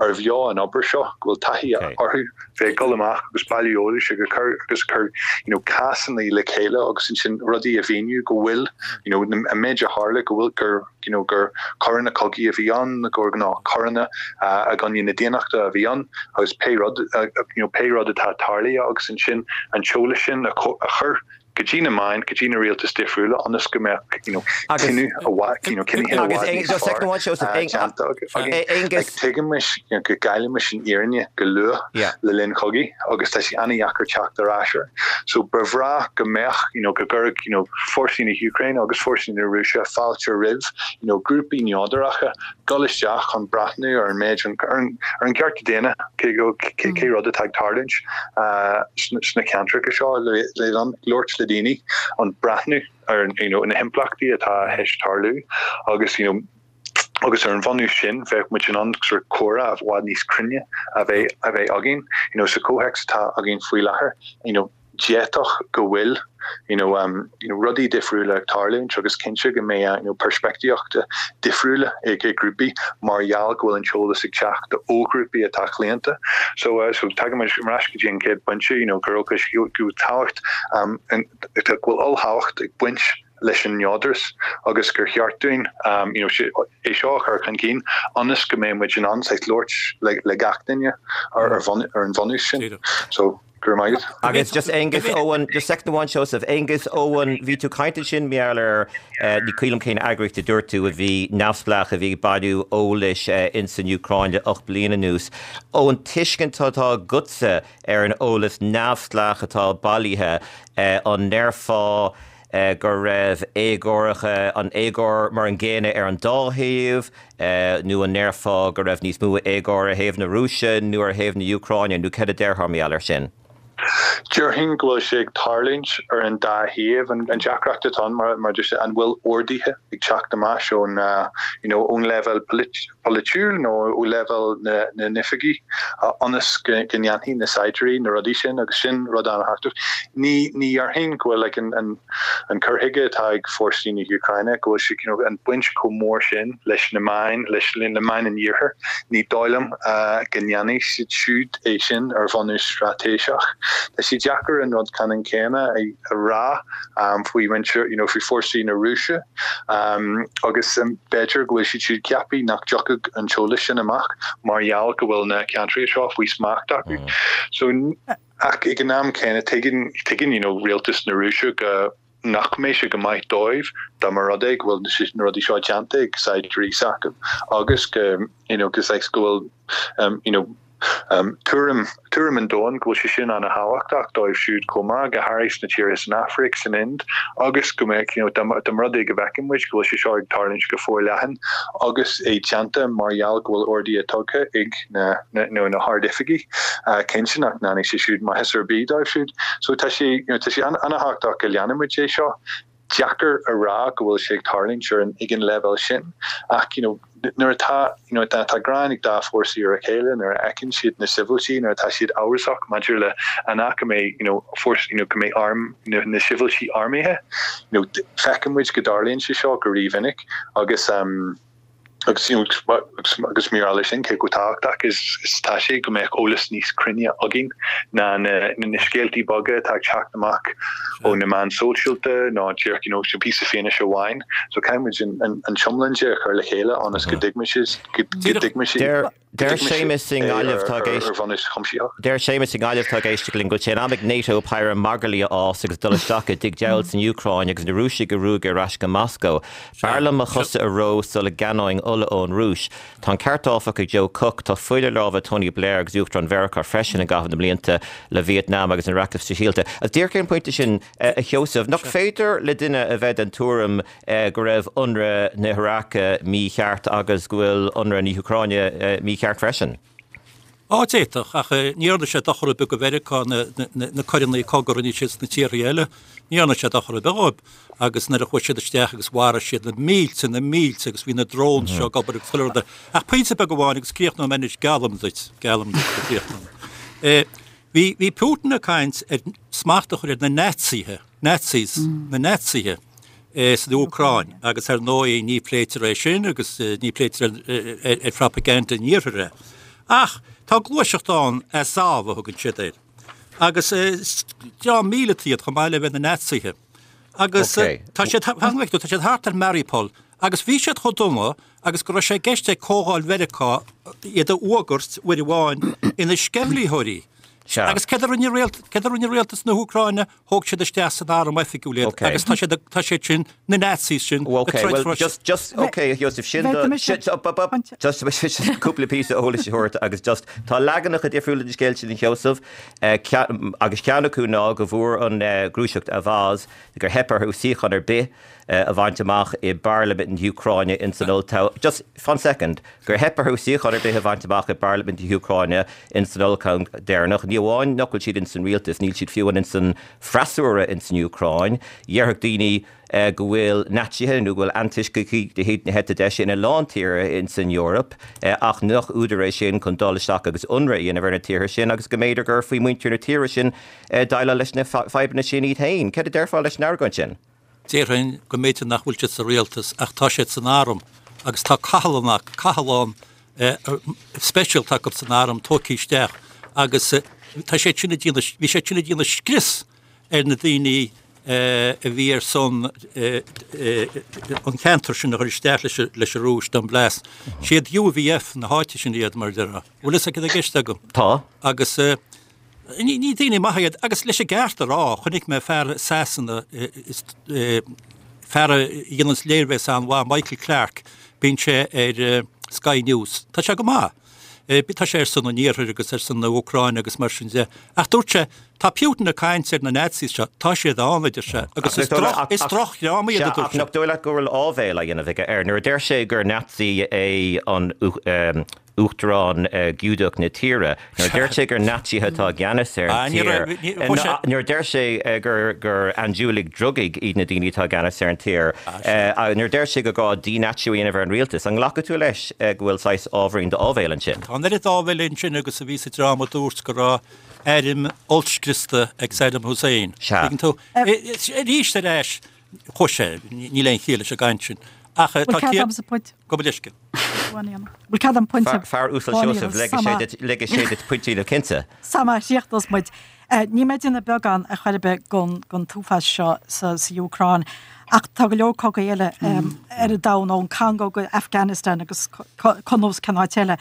ar bheo an obair seo, go bhfuil taithí orthu bheith ag dul amach agus bailiú eolais agus cur agus cur you know cásanna le chéile agus ansin rudaí a mhíniú go bhfuil you know an méid a tharla go bhfuil gur you know gur coireanna cogaidh a bhí ann, gur gnáthchoireanna i gcoinne na daonnachta a bhí ann agus pé rud you know pé rud atá tarlaithe agus ansin an t-eolas sin a chur go dtí na meáin, go dtí na rialtais difriúla ionas go mbeadh you know cinneadh i bhfad you know cinnithe i bhfad níos fearr déanta againn. Like tuigimis you know go gcaillimis an fhírinne go luath le linn chogaidh agus tá sé an-dheacair teacht ar ais air. So ba bhreá go mbeadh you know go gcuirfeadh you know fórsaí na hÚcráine agus fórsaí na Rúise fáilte roimh you know grúpaí neodracha dul isteach chun breathnú ar an méid ar an ar an gcearta daonna cé go cé rud atá ag tarlúint sna ceantracha seo le le labhairt le daoine an breathnú ar you know na himpleachtaí atá théis tarlú agus you know agus ar an bhunús sin bheadh muid in ann sort comhrá i bhfad níos cruinne a bheith a bheith againn you know sa chomhthéacs atá againn faoi láthair you know d'fhéadfadh go bhfuil you know um you know rudaí difriúla ag tarlúint agus cinnte go mbeidh you know peirspictíochta difriúla ag ag grúpaí mar gheall go bhfuil an t-eolas ag teacht ó ghrúpaí atá claonta. So uh so tagaimid ar ais go dtí an chéad pointe you know go raibh go bhfuil tábhacht um go bhfuil ollthábhacht ag baint leis an neodras agus gur cheart dúinn you know é seo a chur chun cinn ionas go mbeidh muid in ann saghas labhairt le le gach duine ar ar bhun ar an bhunús sin. So go raibh maith agat. Agus just Aonghus Eoin, just soicind amháin Seosamh, Aonghus Eoin, bhí tú ag caint ansin mar gheall ar, ní cuimhin liom cén eagraíocht a dúirt tú a bhí neamhspleách a bhí ag bailiú eolais ins an Úcráin le 8 bliana anuas. Ón tuiscint atá agatsa ar an eolas neamhspleách atá bailithe, an ndéarfá go raibh éagóracha, an éagóir mar an gcéanna ar an dá thaobh, nó an ndéarfá go raibh níos mó éagóir ar thaobh na Rúise nó ar thaobh na hÚcráine, nó céard a déarfá mar gheall air sin? Déarfainn go bhfuil sé ag tarlúint ar an dá thaobh. An deacracht atá ann, mar a deir sé, an bhfuil orduithe ag teacht amach ón you know ón leibhéal polaitiúil nó ó leibhéal na n-oifigí ionas go ndéanfaidh na saighdiúirí na rudaí sin agus sin rud an-thábhachtach. Ní ní dhéarfainn go bhfuil like an an an cur chuige atá ag fórsaí na hÚcráine go bhfuil sé you know an baint chomh mór sin leis na meáin, leis na meáin an Iarthair. Ní dóigh liom go ndéanfaidh siad siúd é sin ar bhunús straitéiseach. Tá sé deacair an rud ceannann céanna a rá faoi mhuintir, you know, faoi fórsaí na Rúise agus b'fhéidir go bhfuil siad siúd ceaptha nach dtiocfadh an t-eolas sin amach mar gheall go bhfuil na ceantracha seo faoi smacht acu. So, ach ag an am céanna tuigeann, tuigeann, you know, rialtas na Rúise go. nach mbeidh sé go maith dóibh dá mba rud é go bhfuil na rudaí seo déanta ag saighdiúirí s'acu agus go you know go saghas go bhfuil um you know um tuairim tuairim an domhain go bhfuil sé sin ana-thábhachtach dóibh siúd chomh maith, go háirithe sna tíortha san Afraic, san Ind agus go mbeadh you know dá mba rud é go bhfeiceann muid go bhfuil sé seo ag tarlúint go forleathan agus é déanta mar gheall go bhfuil orduithe tugtha ag na nó na hard-oifigigh, cinnte nach ndéanfaidh sé siúd maitheas ar bith dóibh siúd. So tá sé, you know, tá sé an-thábhachtach go leanfaidh muid é seo. Deacair a rá go bhfuil sé ag tarlúint ar an, ag an leibhéal sin ach, you know, nuair atá, you know, tá gráin ag dá fórsaí ar a chéile, nuair a fheiceann siad na sibhialtaigh, nuair atá siad amhrasach maidir le an ea go mbeidh, you know, fórsa, you know, go mbeidh arm, na, na sibhialtaigh armtha, you know, feiceann muid go dtarlaíonn sé seo go rímhinic agus, um, Agus agus mar gheall air sin, cé chomh tábhachtach is atá sé go mbeadh eolas níos cruinne againn ná na scéaltaí beaga atá ag teacht amach ó na meáin sóisialta nó díreach you know píosa fianaise amháin. So caithfidh muid an t-iomlán de a chur le chéile ionas go dtuigfimid go dtuigfimid Deir Séamus i nGaillimh atá ag éisteacht ar bhunús cuimsitheach. Deir Séamus i nGaillimh atá ag éisteacht linn go bhfuil sé in am ag NATO péire magairlí a fhás agus dul isteach i dtigh diabhail san Úcráin agus na Rúisigh a ruaigeadh ar ais go Moscó. B'fhearr liom mo chosa a reo sula gceannóinn ola ón Rúis. Tá an ceart áfach ag Joe Cooke, tá fuil ar lámha Tony Blair agus Uachtarán Mheiriceá freisin i gcaitheamh na mblianta le Vietnam agus an rachmas sóisialta. Agus díreach ar an bpointe sin, a Sheosaimh, nach féidir le duine a bheith den tuairim go raibh ionradh na hIaráice mícheart agus go bhfuil ionradh na hÚcráine mícheart freisin. Á, d'fhéadfadh, ach ní dhearna sé dochar ar bith do Mheiriceá na coireanna cogaidh a rinne siad sna tíortha eile, ní dhearna sé dochar ar bith dhóibh. Agus nuair a chuaigh siad isteach agus mharaigh siad na mílte, na mílte agus bhí na drones seo ag obair agus chuile rud. Ach pointe beag amháin agus críochnóidh mé anois, geallaim duit, geallaim duit go gcríochnóidh mé. Bhí, bhí Putin ag caint ar smacht a chur ar na Naitsithe. Nazis, na Naitsithe san Úcráin agus ar ndóigh ní phléitear é sin agus ní phléitear ar phropaganda an Iarthair é. Ach tá gluaiseacht ann, Azov a thugann siad air. Agus dream míleata iad chomh maith le bheith ina Naitsithe. Agus tá siad, tá siad thart ar Mariupol agus bhí siad chomh dona agus go raibh sé i gceist ag Comhdháil Mheiriceá iad a fhuagairt uair amháin ina sceimhlitheoirí. Agus céard a rinne rialtas na hÚcráine? Thóg siad isteach san arm oifigiúil iad agus tá siad tá siad sin, na Nazis sin, ag troid for Just, just, ok, a Sheosaimh, sin do, sin, up, up, up, just, just cúpla píosa eolais a thabhairt agus just, tá leaganacha difriúla den scéal sin a Sheosaimh, agus ceann acu ná go bhfuair an ghluaiseacht Avaaz gur theip orthu suíochán ar bith a bhaint amach i bParlaimint na hÚcráine ins an olltoghchán, just fan soicind, gur theip orthu suíochán ar bith a bhaint amach i bParlaimint na hÚcráine ins an olltoghchán deireanach. Ní amháin nach bhfuil siad ins an rialtas, níl siad fiú ins an freasúra ins an Úcráin. Dhéarfadh daoine go bhfuil Naitsithe nó go bhfuil antoiscigh de chuid na heite deise ina lán tíortha ins an Eoraip ach nach údar é sin chun dul isteach agus ionradh a dhéanamh ar na tíortha sin agus go mb'fhéidir gur faoi mhuintir na tíre sin déileáil leis na fadhbanna sin iad féin. Céard a déarfá leis an argóint sin? Déarfainn go mb'fhéidir nach bhfuil siad sa rialtas ach tá siad san arm agus tá cathlán, cathlán speisialta acu san arm tógtha isteach agus tá siad sin ag déanamh, bhí siad sin ag déanamh scrios ar na daoine a bhí ar son an ceantar sin a chur isteach leis an Rúis, Donblas. Siad UVF na háite sin iad mar a déarfá. Bhfuil fhios agat cad tá i gceist agam? Tá. Agus Ní daoine maithe iad, agus leis an gceart a rá, chonaic mé fear i Sasana, fear a dhéananns léirmheas an-mhaith, Michael Clarke, bíonn sé ar Sky News. Tá sé go maith. Tá sé ar son an Iarthair agus ar son na hÚcráine agus mar sin de. Ach dúirt sé, tá Putin ag caint ar na Nazis seo, tá siad ann, a deir sé, agus is droch, is drochdhream iad, a dúirt sé. Ach nach dóigh leat go bhfuil áibhéil á dhéanamh aige air nuair a deir sé gur Nazi é an. Uachtarán Giúdach na tíre, nuair a deir sé gur Naitsithe atá i gceannas ar an tír, nuair a deir sé gur andúiligh drugaí iad na daoine atá i gceannas ar an tír, nuair a deir sé gur gá dí-Naitsíú a dhéanamh ar an rialtas, an nglacfaidh tú leis go bhfuil saghas ábhairín d'áibhéil ansin? Tá an oiread áibhéil ansin agus a bhí sa dream a dúirt go raibh airm ollscriosta ag Saddam Hussein. Sea. Tuigeann tú? Arís ar ais, chuaigh sé, níl aon chiall leis an gcaint sin. Ach tá ciall. Gabh mo leithscéal. Bhfuil cead agam pointe Fear uasal Seosamh, ligfidh sé duit pointe a dhéanamh cinnte. Sa má chríochnós muid. Níl mé ag déanamh beagán ar chor ar bith den t-uafás seo sa Úcráin ach tá go leor cogaí eile ar an domhan, ón Congo go Afghanistan agus conas cén áit eile.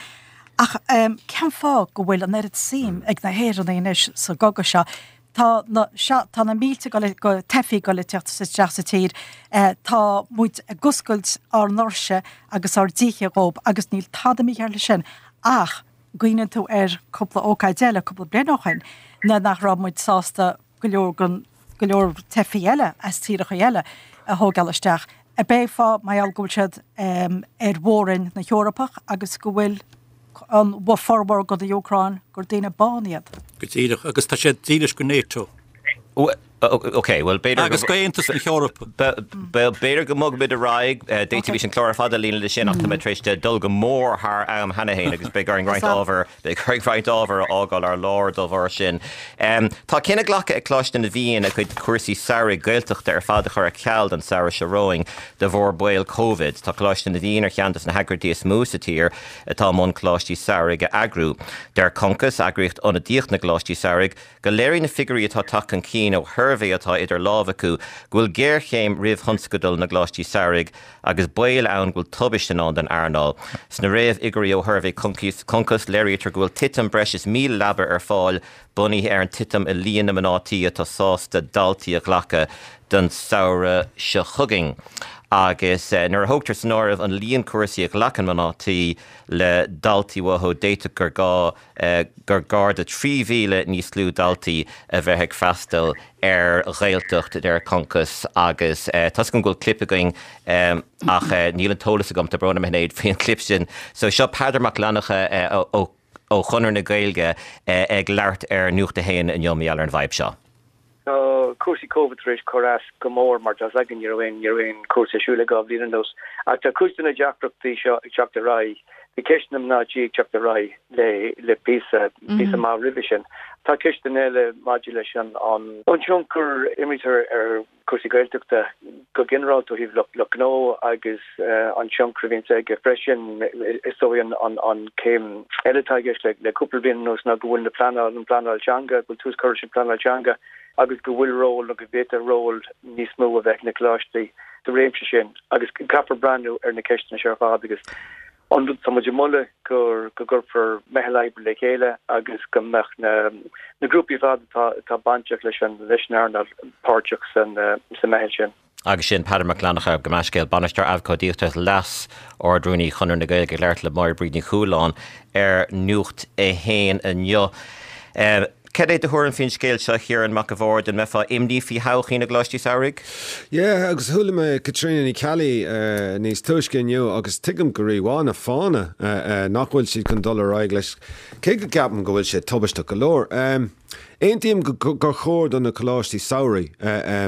Ach cén fáth go bhfuil an oiread suim ag na hÉireannaigh anois sa gcogadh seo? Tá na, sea, tá na mílte go, go teifigh ag dul ag teacht isteach sa tír. Tá muid ag oscailt ár ndoirse agus ár dtithe dhóibh agus níl tada mícheart leis sin ach cuimhníonn tú ar cúpla ócáid eile cúpla bliain ó shin nuair nach raibh muid sásta go leor den, go leor teifigh eile as tíreacha eile a thógáil isteach. Ab é fáth mar gheall go bhfuil siad ar mhór-roinn na hEorpach agus go bhfuil an formhór de na Úcráin gur daoine bána iad. Go díreach, agus tá siad dílis go NATO. Ok, bhuel b'fhéidir go. Agus go Aontas na hEorpa. B'fhéidir go mbogfaimid ar aghaidh, d'fhéadfaimis an clár ar fad a líonadh leis sin ach tá mé tar éis dul go mór thar am cheana féin agus beidh orainn roinnt ábhar, beidh orainn roinnt ábhar a fhágáil ar lár dá bharr sin. Tá cinneadh glactha ag Coláiste na bhFiann a cuid cúrsaí samhraidh Gaeltachta ar fad a chur ar ceal don samhradh seo romhainn de bharr baol Covid. Tá Coláiste na bhFiann ar cheann de na heagraíochtaí is mó sa tír atá i mbun coláistí samhraidh a eagrú. Deir Concos, eagraíocht ionadaíoch na gcoláistí samhraidh, go léiríonn na figiúirí atá tagtha chun cinn ó shuirbhé atá idir lámha acu go bhfuil géarchéim roimh thionscadal na gcoláistí samhraidh agus baol ann go bhfuil tubaiste i ndán don earnáil. Sna réamhfhigiúirí ó shuirbhé Concos, léirítear go bhfuil titim breis is 1,000 leaba ar fáil bunaithe ar an titim i líon na mná tí atá sásta daltaí a ghlacadh don samhradh seo chugainn. Agus nuair a thógtar san áireamh an líon cúrsaí a ghlacann mná tí le daltaí uathu, d'fhéadfadh gur gá gur gar do 3,000 níos lú daltaí a bheith ag freastal ar Ghaeltacht, a deir Concos. Agus tá 's agam go bhfuil clip againn ach níl an t-eolas agam, tá brón orm a Shinéad, faoin gclip sin. So seo Peadar Mac Fhlannchadha ó ó Chonradh na Gaeilge ag labhairt ar Nuacht a hAon inniu mar gheall ar an bhfadhb seo. Tá cúrsaí Covid tar éis cur as go mór mar tá's againn ní raibh aon ní raibh aon chúrsa ar siúl le 2 bhliain anuas. Ach tá cuid de na deacrachtaí seo ag teacht ar aghaidh. Bhí ceist na mná tí ag teacht ar aghaidh le le píosa píosa maith roimhe sin. Tá ceisteanna eile maidir leis an an tionchar a imrítear ar cúrsaí Gaeltachta go ginearálta ó thaobh lucht gnó agus an tionchar a bhíonns aige freisin. Is dóigh an céim eile atá i gceist le cúpla bliain anuas ná go bhfuil na pleanáil, an pleanáil teanga, go bhfuil tús curtha leis an bpleanáil teanga agus go bhfuil ról nó go bhféadfadh ról níos mó a bheith ag na coláistí sa réimse sin agus caithfear breathnú ar na ceisteanna seo ar fad agus An rud atá muid ag moladh gur go gcuirfear meitheal oibre le chéile agus go mbeadh na na grúpaí ar fad atá atá bainteach leis an leis an earnáil páirteach san sa meitheal sin. Agus sin Peadar Mac Fhlannchadha, gabh mo leithscéal, Bainisteoir Abhcóideachta agus Leas-Ard-Rúnaí Chonradh na Gaeilge ag labhairt le Máire Bríd Ní Chualáin ar Nuacht 1 inniu. Cad é do thuairim faoin scéal seo, a Chiaráin Mac a' Bhaird? An mbeifeá imní faoi thodhchaí na gcoláistí samhraidh? Yeah, agus chuala mé Caitríona Ní Cheallaigh níos túisce inniu agus tuigim go rímhaith na fáthanna nach bhfuil siad chun dul ar aghaidh leis, cé go gceapaim go bhfuil sé tubaisteach go leor. Aontaím gur chóir do na coláistí samhraidh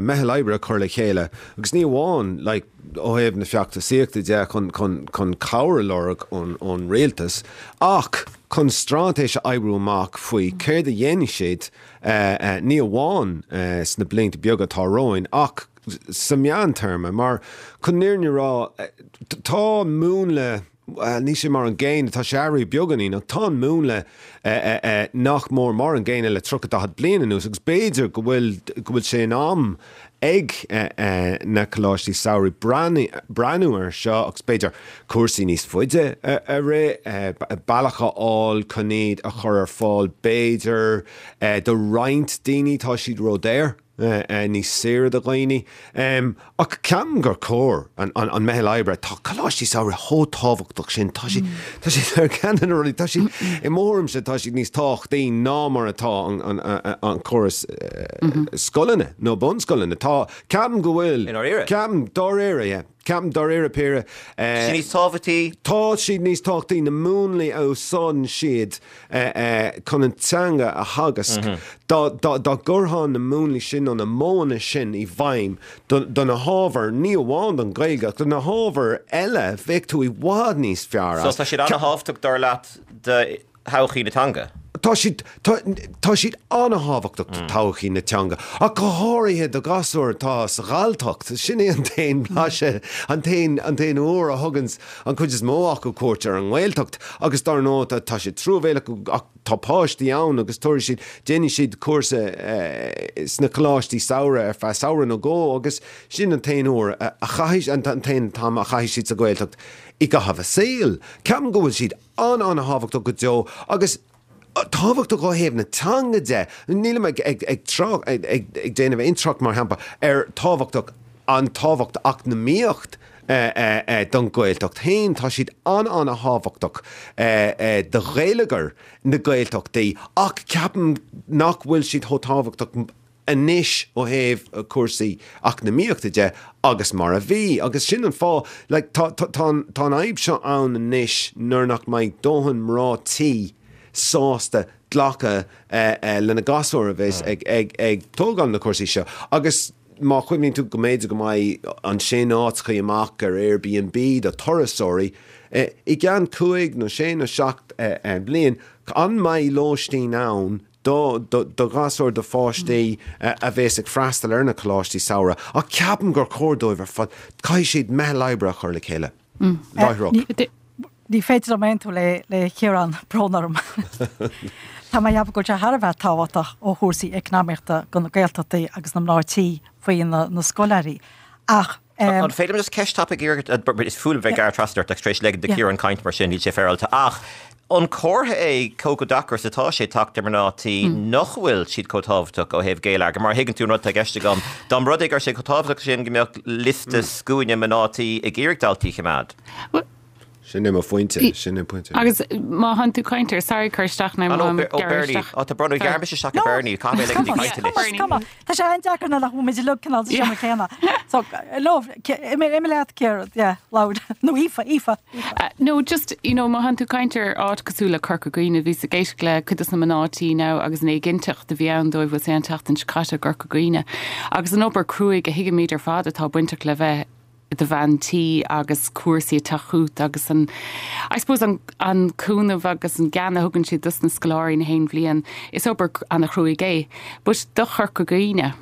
meitheal oibre a chur le chéile agus ní amháin like, ó thaobh na feachtasaíochta de chun chun cabhair a lorg ón rialtas ach chun straitéis a oibriú amach faoi céard a dhéanfaidh siad ní amháin sna blianta beaga atá romhainn ach sa meántéarma mar chun an fhírinne a rá tá múnla bhuel, níl sé mar an gcéanna, tá sé athraithe beagáinín, ach tá an múnla nach mór mar an gcéanna le 30, 40 bliain anuas agus b'fhéidir go bhfuil, go bhfuil sé in am ag na coláistí samhraidh breathnú air seo agus b'fhéidir cúrsaí níos faide a rith, bealach a fháil chun iad a chur ar fáil b'fhéidir do roinnt daoine, tá siad ródhaor. níos saoire do dhaoine. Ach ceapaim gur chóir an meitheal oibre, tá coláistí samhraidh chomh tábhachtach sin, tá siad, tá siad ar cheann de na rudaí, tá siad, i mo thuairimse, tá siad níos tábhachtaí ná mar atá an córas scoileanna nó bunscoileanna. Tá, ceapaim go bhfuil, I ndáiríre? ceapaim, dáiríre, yeah. Ceapaim dáiríre píre. Tá siad níos tábhachtaí. Tá siad níos tábhachtaí, na múnlaí a úsáideann siad chun an teanga a theagasc. Dá gcuirfeá na múnlaí sin nó na modhanna sin i bhfeidhm do na hábhair, ní amháin don Ghaeilge ach do na hábhair eile, bheadh tú i bhfad níos fearr as. So tá siad an-thábhachtach dar leat do thodhchaí na teanga. Tá siad, tá, tá siad an-thábhachtach do thodhchaí na teanga, ach go háirithe do ghasúir atá sa Ghalltacht. Sin é an t-aon bhlaiseadh, an t-aon, an t-aon uair a thuganns an chuid is mó acu cuairt ar an nGaeltacht. Agus dar ndóigh, tá, tá sé truamhéalach ach tá páistí ann agus tabharfaidh siad, déanfaidh siad cúrsa sna coláistí samhraidh ar feadh samhradh nó dhó agus sin an t-aon uair a chaithfidh, an t-aon t-am a chaithfidh siad sa Ghaeltacht i gcaitheamh a saoil. Ceapaim go bhfuil siad an-an-thábhachtach go deo agus tábhachtach ó thaobh na teanga de. Nílim ag ag trácht ag déanamh aon trácht mar shampla ar tábhachtach an tábhacht eacnamaíocht don Ghaeltacht féin. Tá siad an-an-thábhachtach do gheilleagar na Gaeltachtaí ach ceapaim nach bhfuil siad chomh tábhachtach anois ó thaobh cúrsaí eacnamaíochta de agus mar a bhí agus sin an fáth like tá tá tá an tá an fhadhb seo ann anois nuair nach mbeidh dóthain mná tí sásta glacadh lena gasúir a bheas ag ag ag tógáil na cúrsaí seo agus má chuimhníonn tú go mb'fhéidir go mbeidh ansin áiteachaí amach ar Airbnb do turasóirí i gceann cúig nó sé nó seacht bliain an mbeidh lóistín ann do do ghasúir, do pháistí a bhéas ag freastal ar na coláistí samhraidh ach ceapaim gur chóir dóibh ar fad, caithfidh siad meitheal oibre a chur le chéile láithreach. Ní féidir liom aontú le le Ciarán, brón orm. Tá mé ag ceapadh go bhfuil sé thar a bheith tábhachtach ó chúrsaí eacnamaíochta do na Gaeltachtaí agus na mná tí faoi na na scoláirí ach An féidir liom just ceist tapaidh a iarraidh? Is fuath liom bheith ag gearradh trasna ort ach tar éis ligean do Ciarán caint mar sin, níl sé féaráilte. Ach an comhartha é cé chomh deacair is atá sé teacht ar mná tí nach bhfuil siad chomh tábhachtach ó thaobh geilleagair? Mar a thuigeann tú an rud atá i gceist agam, dá mba rud é go raibh sé chomh tábhachtach sin go mbeadh liosta scuaine mná tí ag iarraidh daltaí a choimeád. Sin é mo phointe, sin é pointe. Agus má thánn tú caint ar, sorry cur isteach now, má ó Bernie, ó tá brón, ghearr mise isteach ar Bernie, caithfidh mé ligean di caint anois. Come on, tá sé an-deacair nuair nach bhfuil muid uilig cineál sa seomra céanna. So, no, imigh leat Ciarán, yeah, labhair, nó Aoife, Aoife, Aoife. No, just, you know, má thánn tú caint ar áit cosúil le Corca Dhuibhne, bhíos ag éisteacht le cuid de na mná tí now agus an éiginnteacht a bhí ann dóibh, bhfuil sé an tseachtain seo caite i gCorca Dhuibhne. Agus an obair cruaidh a thuigimid ar fad atá bainteach le bheith i do bhean tí agus cúrsaí ag teacht chugat agus an, I suppose an, an cúnamh agus an gean a thugann siad dos na scoláirí na haon bhliain, is obair ana-chruaidh é. But do Chorca Dhuibhne,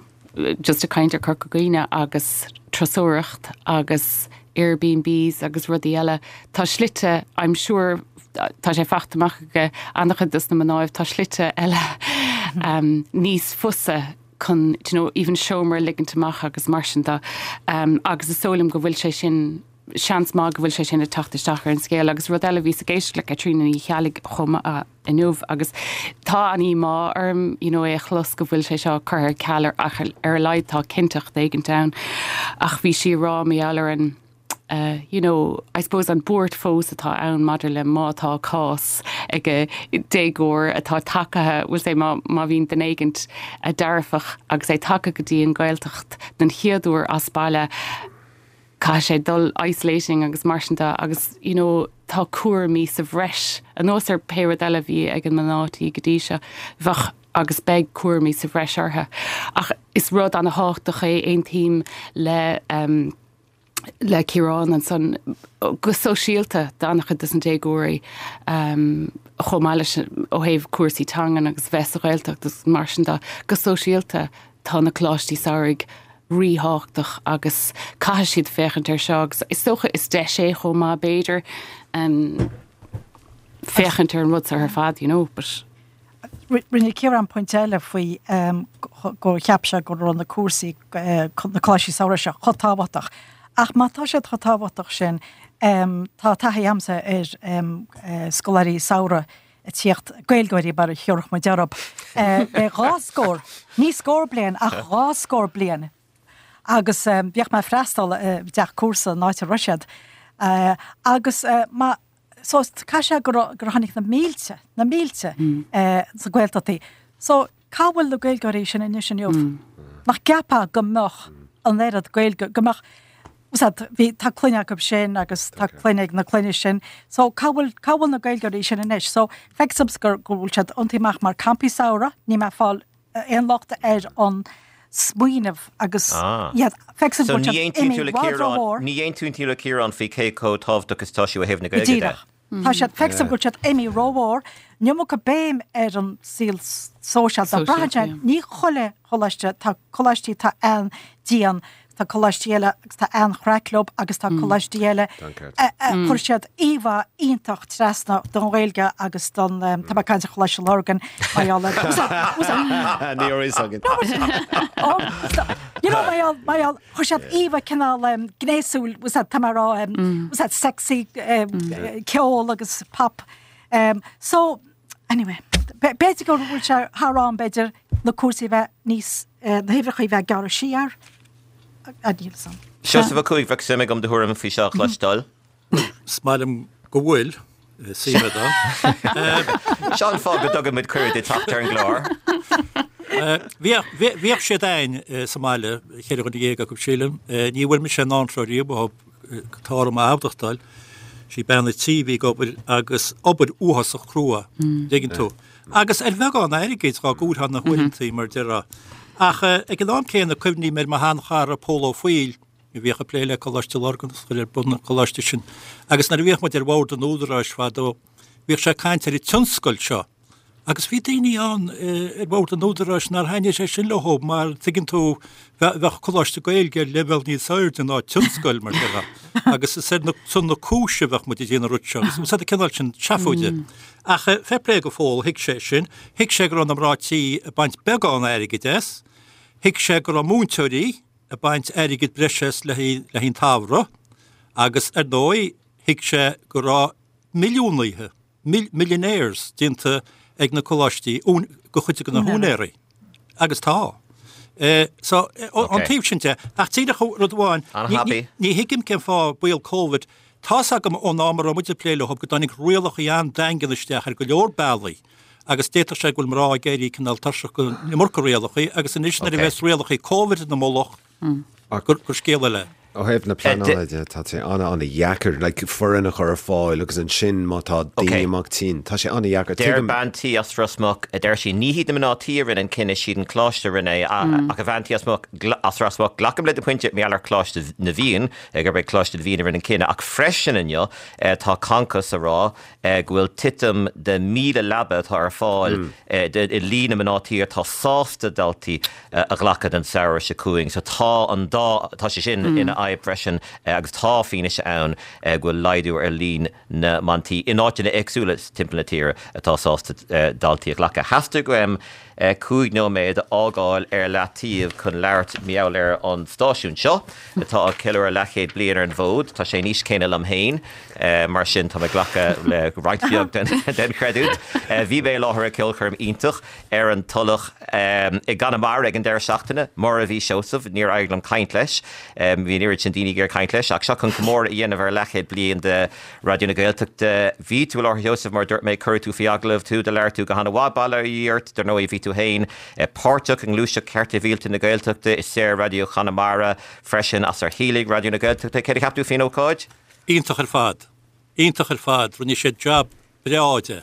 just ag caint ar Chorca Dhuibhne agus turasóireacht agus Airbnbs agus rudaí eile, tá slite, I'm sure, tá sé fachta amach ag ana-chuid dos na mnáibh, tá slite eile níos fusa chun do you know even seomra a ligint amach agus mar sin de agus is dóigh liom go bhfuil sé sin, seans maith go bhfuil sé sin ag teacht isteach ar an scéal agus rud eile bhíos ag éisteacht le Caitríona Ní Cheallaigh chomh maith inniu agus tá an díomá orm you know é a chlos go bhfuil sé seo curtha ar ceal ar ach ar a laghad tá cinnteacht éigint ann ach bhí sí ag rá mar gheall ar an you know, I suppose an buairt fós atá ann maidir le má tá cás ag déagóir atá tagtha, we'll say má, má bhíonn duine éigint dearfach agus é tagtha go dtí an Ghaeltacht den chéad uair as baile, caithfidh sé dul isolating agus mar sin de agus, you know, tá cúraimí sa bhreis anuas ar pé rud eile a bhí ag an mná tí go dtí seo. Bheadh agus beidh cúraimí sa bhreis orthu. Ach is rud ana-thábhachtach é, aontaím le, le Ciarán ansan go sóisialta d'an-chuid dos na déagóirí chomh maith leis ó thaobh cúrsaí teangan agus bheith sa Ghaeltacht agus mar sin de, go sóisialta tá na coláistí samhraidh ríthábhachtach agus caithfidh siad féachaint air seo agus is dócha is deis é chomh maith b'fhéidir féachaint ar an rud seo ar fad you know but. Rinne Ciarán pointe eile faoi gur cheap sé go raibh na cúrsaí, na coláistí samhraidh seo chomh tábhachtach. Ach má tá siad chomh tábhachtach sin, tá taithí agamsa ar scoláirí samhraidh ag tíocht, Gaeilgeoirí mar a thiúrfadh muid orthu, le dhá scór, ní scór bliain ach dhá scór bliain. Agus bhíodh mé ag freastal i dteach cúrsa an áit a raibh siad. Agus má. So, caithfidh sé gur gur tháinig na mílte, na mílte sna Gaeltachtaí. So, cá bhfuil na Gaeilgeoirí sin anois inniu? Nach gceapfá go mbeadh an oiread Gaeilge, go mbeadh. Bhí, tá clainn acu sin agus tá clainn ag na clainne sin. So cá bhfuil, cá bhfuil na Gaeilgeoirí sin anois? So feictear domsa gur, go bhfuil siad iontaithe amach mar campaí samhraidh, níl mé ag fáil aon locht ar an smaoineamh agus iad, feictear So go bhfuil ní siad aontaíonn tú imithe le i bhfad Ciarán, rómhór. ní aontaíonn tú le Ciarán faoi cé chomh tábhachtach is atá sé ó thaobh na Go Gaeilge de? díreach. Tá siad, feictear dom go bhfuil siad imithe rómhór, an iomarca béim ar an saol sóisialta. Braitheann sé, ní chuile choláiste, tá coláistí atá an-dian, tá coláistí eile agus tá an-chraic leo agus tá coláistí eile a chuir siad íomhá iontach trasna don Ghaeilge agus don, tá mé ag caint ar Choláiste Lurgan, mar gheall ar, Ní raibh fhios againn. You know, mar gheall, mar gheall, chuir siad íomhá cineál gnéasúil, tá mé ag rá, sexy ceol agus pop. So, anyway, b'fhéidir go bhfuil sé thar am, b'fhéidir, na cúrsaí a bheith níos, na huimhreacha a bheith gearrtha siar, níl fhios a'm. Seosamh Ó Cuaig, bheadh suim agam do thuairim faoi seo a chloisteáil. Is maith liom go bhfuil suim agam. Seo an fáth go dtugann muid cuireadh duit teacht ar an gclár. Bhíodh siad a'ainn sa mbaile, 14 dhuine acu sílim. Ní bhfuair mise aon antró riamh ó tá orm a admhachtáil. Sí bean a' tí a bhí ag obair agus obair uafásach crua, dtuigeann tú. Agus ar bheagán airgid dhá gcomhairtheá na huaireantaí, mar déarfá. Ach ag an am céanna cuimhním ar mo sheanchara Pól Ó Foighil, a bhíodh ag plé le Coláiste Lurgan agus a chuir ar bun an coláiste sin. Agus nuair a bhíodh muid ar bhord an Údaráis fadó, bhíodh sé ag caint ar an tionscal seo. Agus bhí daoine ann ar bhord an Údaráis nár thaitnigh sé sin leo mar, tuigeann tú, bheadh coláiste Gaeilge ar leibhéal níos airde ná tionscal, mar déarfá. Agus is ar son na cúise a bheadh muid ag déanamh an rud seo. Agus úsáid an cineál sin seafóide. Ach fair play do Phól, thuig sé sin. Thuig sé go raibh na mná tí ag baint beagán airgid as. Thuig sé go raibh múinteoirí ag baint airgid breise as le haghaidh an tsamhraidh. Agus ar ndóigh, thuig sé go raibh milliúnaithe, millionaires déanta ag na coláistí do chuid de na húinéirí. Agus tá. So, ón taobh sin de, ach díreach rud amháin, ní thuigim cén fáth baol Covid, tá's agam ón am a raibh muid ag plé leo go dtáinig rialacha an-daingean isteach ar go leor bealaí agus d'fhéadfadh sé go bhfuil mná ag éirí cineál tuirseach den iomarca rialacha agus anois nuair a bheas rialacha Covid ina mullach, gur scéal eile. Ó thaobh na pleanála de, tá sé an-an-dheacair, like, foireann a chur ar fáil agus ansin má tá daoine amach tinn, tá sé an-dheacair. Deir bean tí as Ros Muc, a deir sí, ní hiad na mná tí a rinne an cinneadh, siad an coláiste a rinne é, ach a bhean tí as Muc, as Ros Muc, glacaim le do phointe, mar gheall ar Choláiste na bhFiann, gurb é Coláiste na bhFiann a rinne an cinneadh, ach freisin inniu tá Concos a rá go bhfuil titim de 1,000 leaba atá ar fáil i líon na mná tí atá sásta daltaí a ghlacadh don samhradh seo chugainn. So tá an dá, tá sé sin ina fhadhb freisin agus tá fianaise ann go bhfuil laghdú ar líon na mban tí in áiteanna éagsúla timpeall na tíre atá sásta daltaí a ghlacadh. Theastaigh uaim 5 nóiméad a fhágáil ar leataobh chun labhairt mar gheall ar an stáisiún seo atá ag ceiliúradh leathchéad bliain ar an bhfód. Tá sé an aois céanna liom féin, mar sin tá mé ag glacadh le roinnt bheag den chreidiúint. Bhí mé i láthair ag ceolchoirm iontach ar an Tulach i gConamara ag an deireadh seachtaine. Mar a bhí Seosamh, níor éirigh liom caint leis. Bhí an oiread sin daoine ag iarraidh caint leis, ach seo chun comóradh a dhéanamh ar leathchéad bliain de Raidió na Gaeltachta. Bhí tú i láthair, a Sheosaimh, mar a dúirt mé, cuireadh tú faoi agallamh, tú, do labhair tú go han-mhaith, bail ó Dhia ort. Dar ndóigh, bhí tú féin páirteach i ngluaiseacht Cearta Shibhialta na Gaeltachta, i Saor-Raidió Chonamara freisin, as ar shíolraigh Raidió na Gaeltachta. Céard a cheap tú faoin ócáid? Iontach ar fad. Iontach ar fad. Rinne siad jab breá de.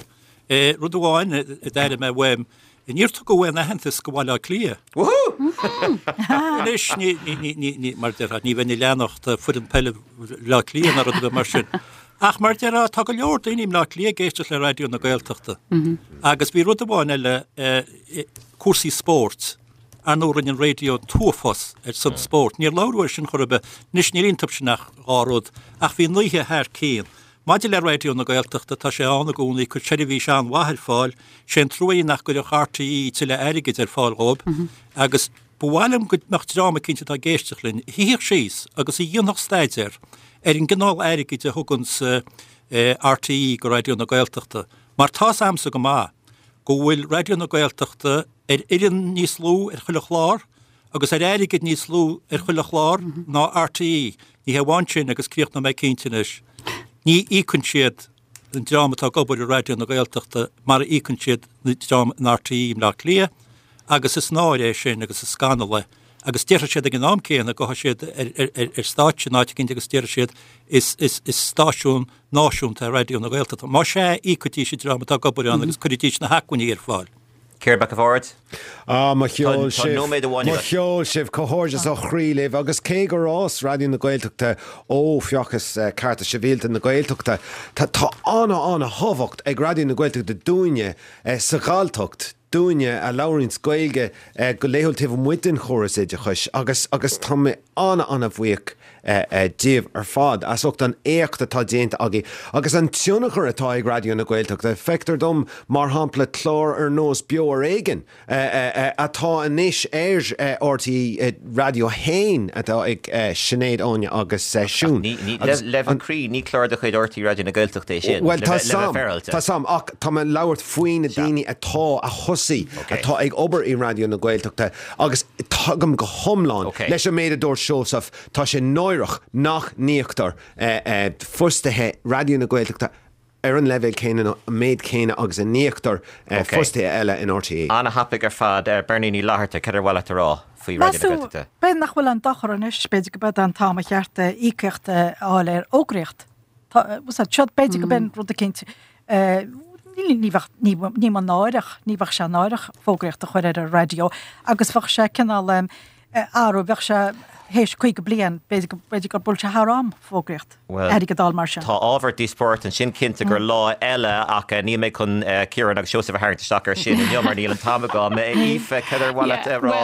Rud amháin a d'airigh mé uaim, níor tugadh aon aitheantas go Bhaile Átha Cliath. Woohoo! Anois, ní, ní, ní, ní, mar déarfá, ní bheinn ag leanacht foireann peile Bhaile Átha Cliath ná rud ar bith mar sin. Ach mar déarfá, tá go leor daoine i mBleá Cliath ag éisteacht le Raidió na Gaeltachta. Agus bhí rud amháin eile, cúrsaí spóirt. Ar ndóigh, rinne an raidió an t-uafás ar son spóirt. Níor labhradh air sin chor ar bith. Anois, níl iontu sin ach dhá rud. Ach bhí an oíche thar cionn. Maidir le Raidió na Gaeltachta, tá sé ann i gcónaí, ag cur seirbhís an-mhaith ar fáil. Sé an trua é nach gcuirfeadh RTÉ tuilleadh airgid ar fáil dhóibh agus ba mhaith liom go mbeadh dream eicínt atá ag éisteacht linn a shuífeadh síos agus a dhéanfadh staidéar ar an gcineál airgid a thuganns RTÉ go Raidió na Gaeltachta mar tá's a'msa go maith go bhfuil Raidió na Gaeltachta ar fhoireann níos lú ar chuile chlár agus ar airgead níos lú ar chuile chlár ná RTÉ. Ní hé amháin sin, agus críochnóidh mé cinnte anois, ní íocann siad an dream atá ag obair i Raidió na Gaeltachta mar a íocann siad an dream in RTÉ i mBleá Cliath agus is náire é sin agus is scannal é. Agus déarfaidh siad ag an am céanna, gabhfaidh siad ar stáitse in áit eicínt agus déarfaidh siad is stáisiún náisiúnta é Raidió na Gaeltachta. Más ea, íocfaidís an dream atá ag obair ann agus cuirfidís na hacmhainní ar fáil. Ciarán Mac a' Bhaird. Ah, mo cheol Tá sibh, nóiméad amháin mo agat. cheol sibh, comhghairdeas ó chroí libh agus cé gur fhás Raidió na Gaeltachta ó Feachtas Cearta Sibhialta na Gaeltachta, tá tá ana-ana-thábhacht ag Raidió na Gaeltachta dúinne sa Ghalltacht, dúinne a labhraíonns Gaeilge go laethúil taobh amuigh den chóras oideachais agus agus tá mé ana-ana-bhuíoch díobh ar fad as ucht an éacht atá déanta agaibh agus an tionchar atá ag Raidió na Gaeltachta. Feictear dom, mar shampla, clár ar nós Beo ar Éigean atá anois ar RTÉ Raidió 1 atá ag Sinéad, Áine agus Siún. Le bheith cruinn, ní clár de chuid RTÉ Raidió na Gaeltachta é sin, Bhuel, tá 's a'm, tá 's a'm, ach tá mé ag labhairt faoi na daoine atá, a thosaigh, atá ag obair i Raidió na Gaeltachta agus tagaim go hiomlán leis an méid a dúirt Seosamh, tá sé náireach nach n-íoctar fostaithe Raidió na Gaeltachta ar an leibhéal céanna nó an méid céanna agus a n-íoctar fostaithe eile in RTÉ. Ana-thapaidh ar fad. Beirní Ní Fhlatharta, cad ar mhaith leat a rá faoi Raidió na Gaeltachta? B'fhéidir nach bhfuil aon dochar anois, b'fhéidir go b'é an t-am a cheart íocaíocht a fháil ar fhógraíocht. Seo b'fhéidir go b'in rud eicínt ní bheadh, ní ní mba náireach, ní bheadh sé náireach fógraíocht a chur ar an raidió agus bheadh sé cineál athrú, bheadh sé théis 50 bliain, b'fhéidir go, b'fhéidir go bhfuil sé thar am fógraíocht, airgead a fháil mar sin. Tá ábhar díospóireachta ansin cinnte gur lá eile ach níl mé chun Ciarán agus Seosamh a tharraingt isteach ar sin inniu mar níl an t-am agam. Aoife, cad ar mhaith leat a rá?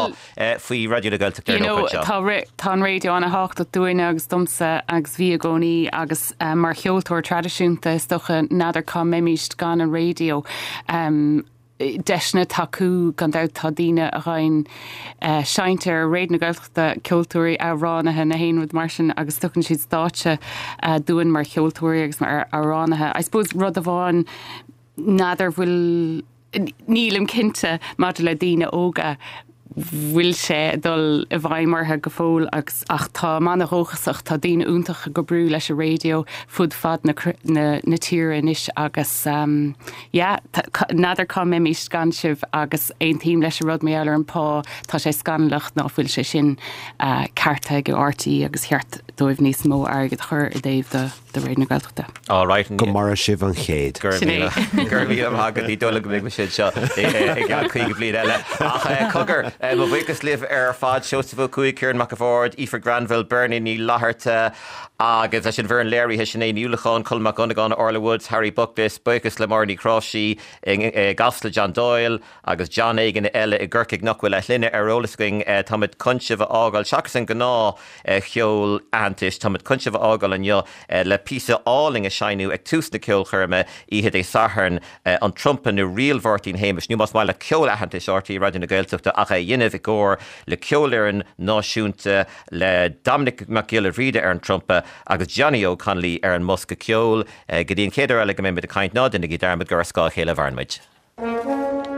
faoi Raidió na Gaeltachta ar You an know, ócáid seo. tá, tá an raidió ana-thábhachtach dúinne agus domsa agus bhí i gcónaí agus mar cheoltóir traidisiúnta is dócha n'fheadar cá mbeimíst gan an raidió. Deiseanna tacú gan dabht tá daoine a ghabhann seinnte ar Raidió na Gaeltachta, ceoltóirí, amhránaithe, na haon rud mar sin agus tugann siad stáitse dúinn mar cheoltóirí agus mar amhránaithe. I suppose rud amháin n'fheadar bhfuil Nílim cinnte maidir le daoine óga, bhfuil sé ag dul i bhfeidhm orthu go fóill agus ach táim ana-dhóchasach, tá daoine iontacha ag oibriú leis an raidió fud fad na na tíre anois agus yeah, n'fheadar cá mbeimis gan sibh agus aontaím leis an rud mar gheall ar an pá, tá sé scannalach ná fuil sé sin ceartaithe ag RTÉ agus cheart dóibh níos mó airgid a chur i dtaobh do. do Raidió na Gaeltachta. All right. Go maire sibh an chéad. Go raibh míle, go raibh míle maith agat. Ní dóigh liom go mbeidh mise anseo i gceann 50 bliain eile. Ach cogar, mo bhuíochas libh ar fad, Seosamh Ó Cuaig, Ciarán Mac a' Bhaird, Aoife Granville, Bernie Ní Fhlatharta agus leis an bhfoireann léirithe, Sinéad Ní Uallacháin, Colm Mac Dhonnagáin, Orla Woods, Harry Buckless, buíochas le Máire Ní Chráimhsí i gCasla, John Doyle agus John éigin eile i gCorcaigh nach bhfuil a shloinne ar eolas againn. Táimid chun sibh a fhágáil seachas an gnáth cheol aitheantais. Táimid chun sibh a fhágáil inniu le píosa álainn a seinneadh ag tús na ceolchoirme oíche Dé Sathairn, an trumpa nó Ríl Mháirtín Shéamais, nó más maith leat ceol aitheantais RTÉ Raidió na Gaeltachta ach é a dhéanamh i gcomhar le Ceolfhoireann Náisiúnta le Dominic Mac Giolla Bhríde ar an trumpa agus Johnny Óg Connolly ar an mbosca ceoil. Go dtí an chéad uair eile go mbeimid ag caint, ná déanaigí dearmad gur ar scáth a chéile a mhaireann muid.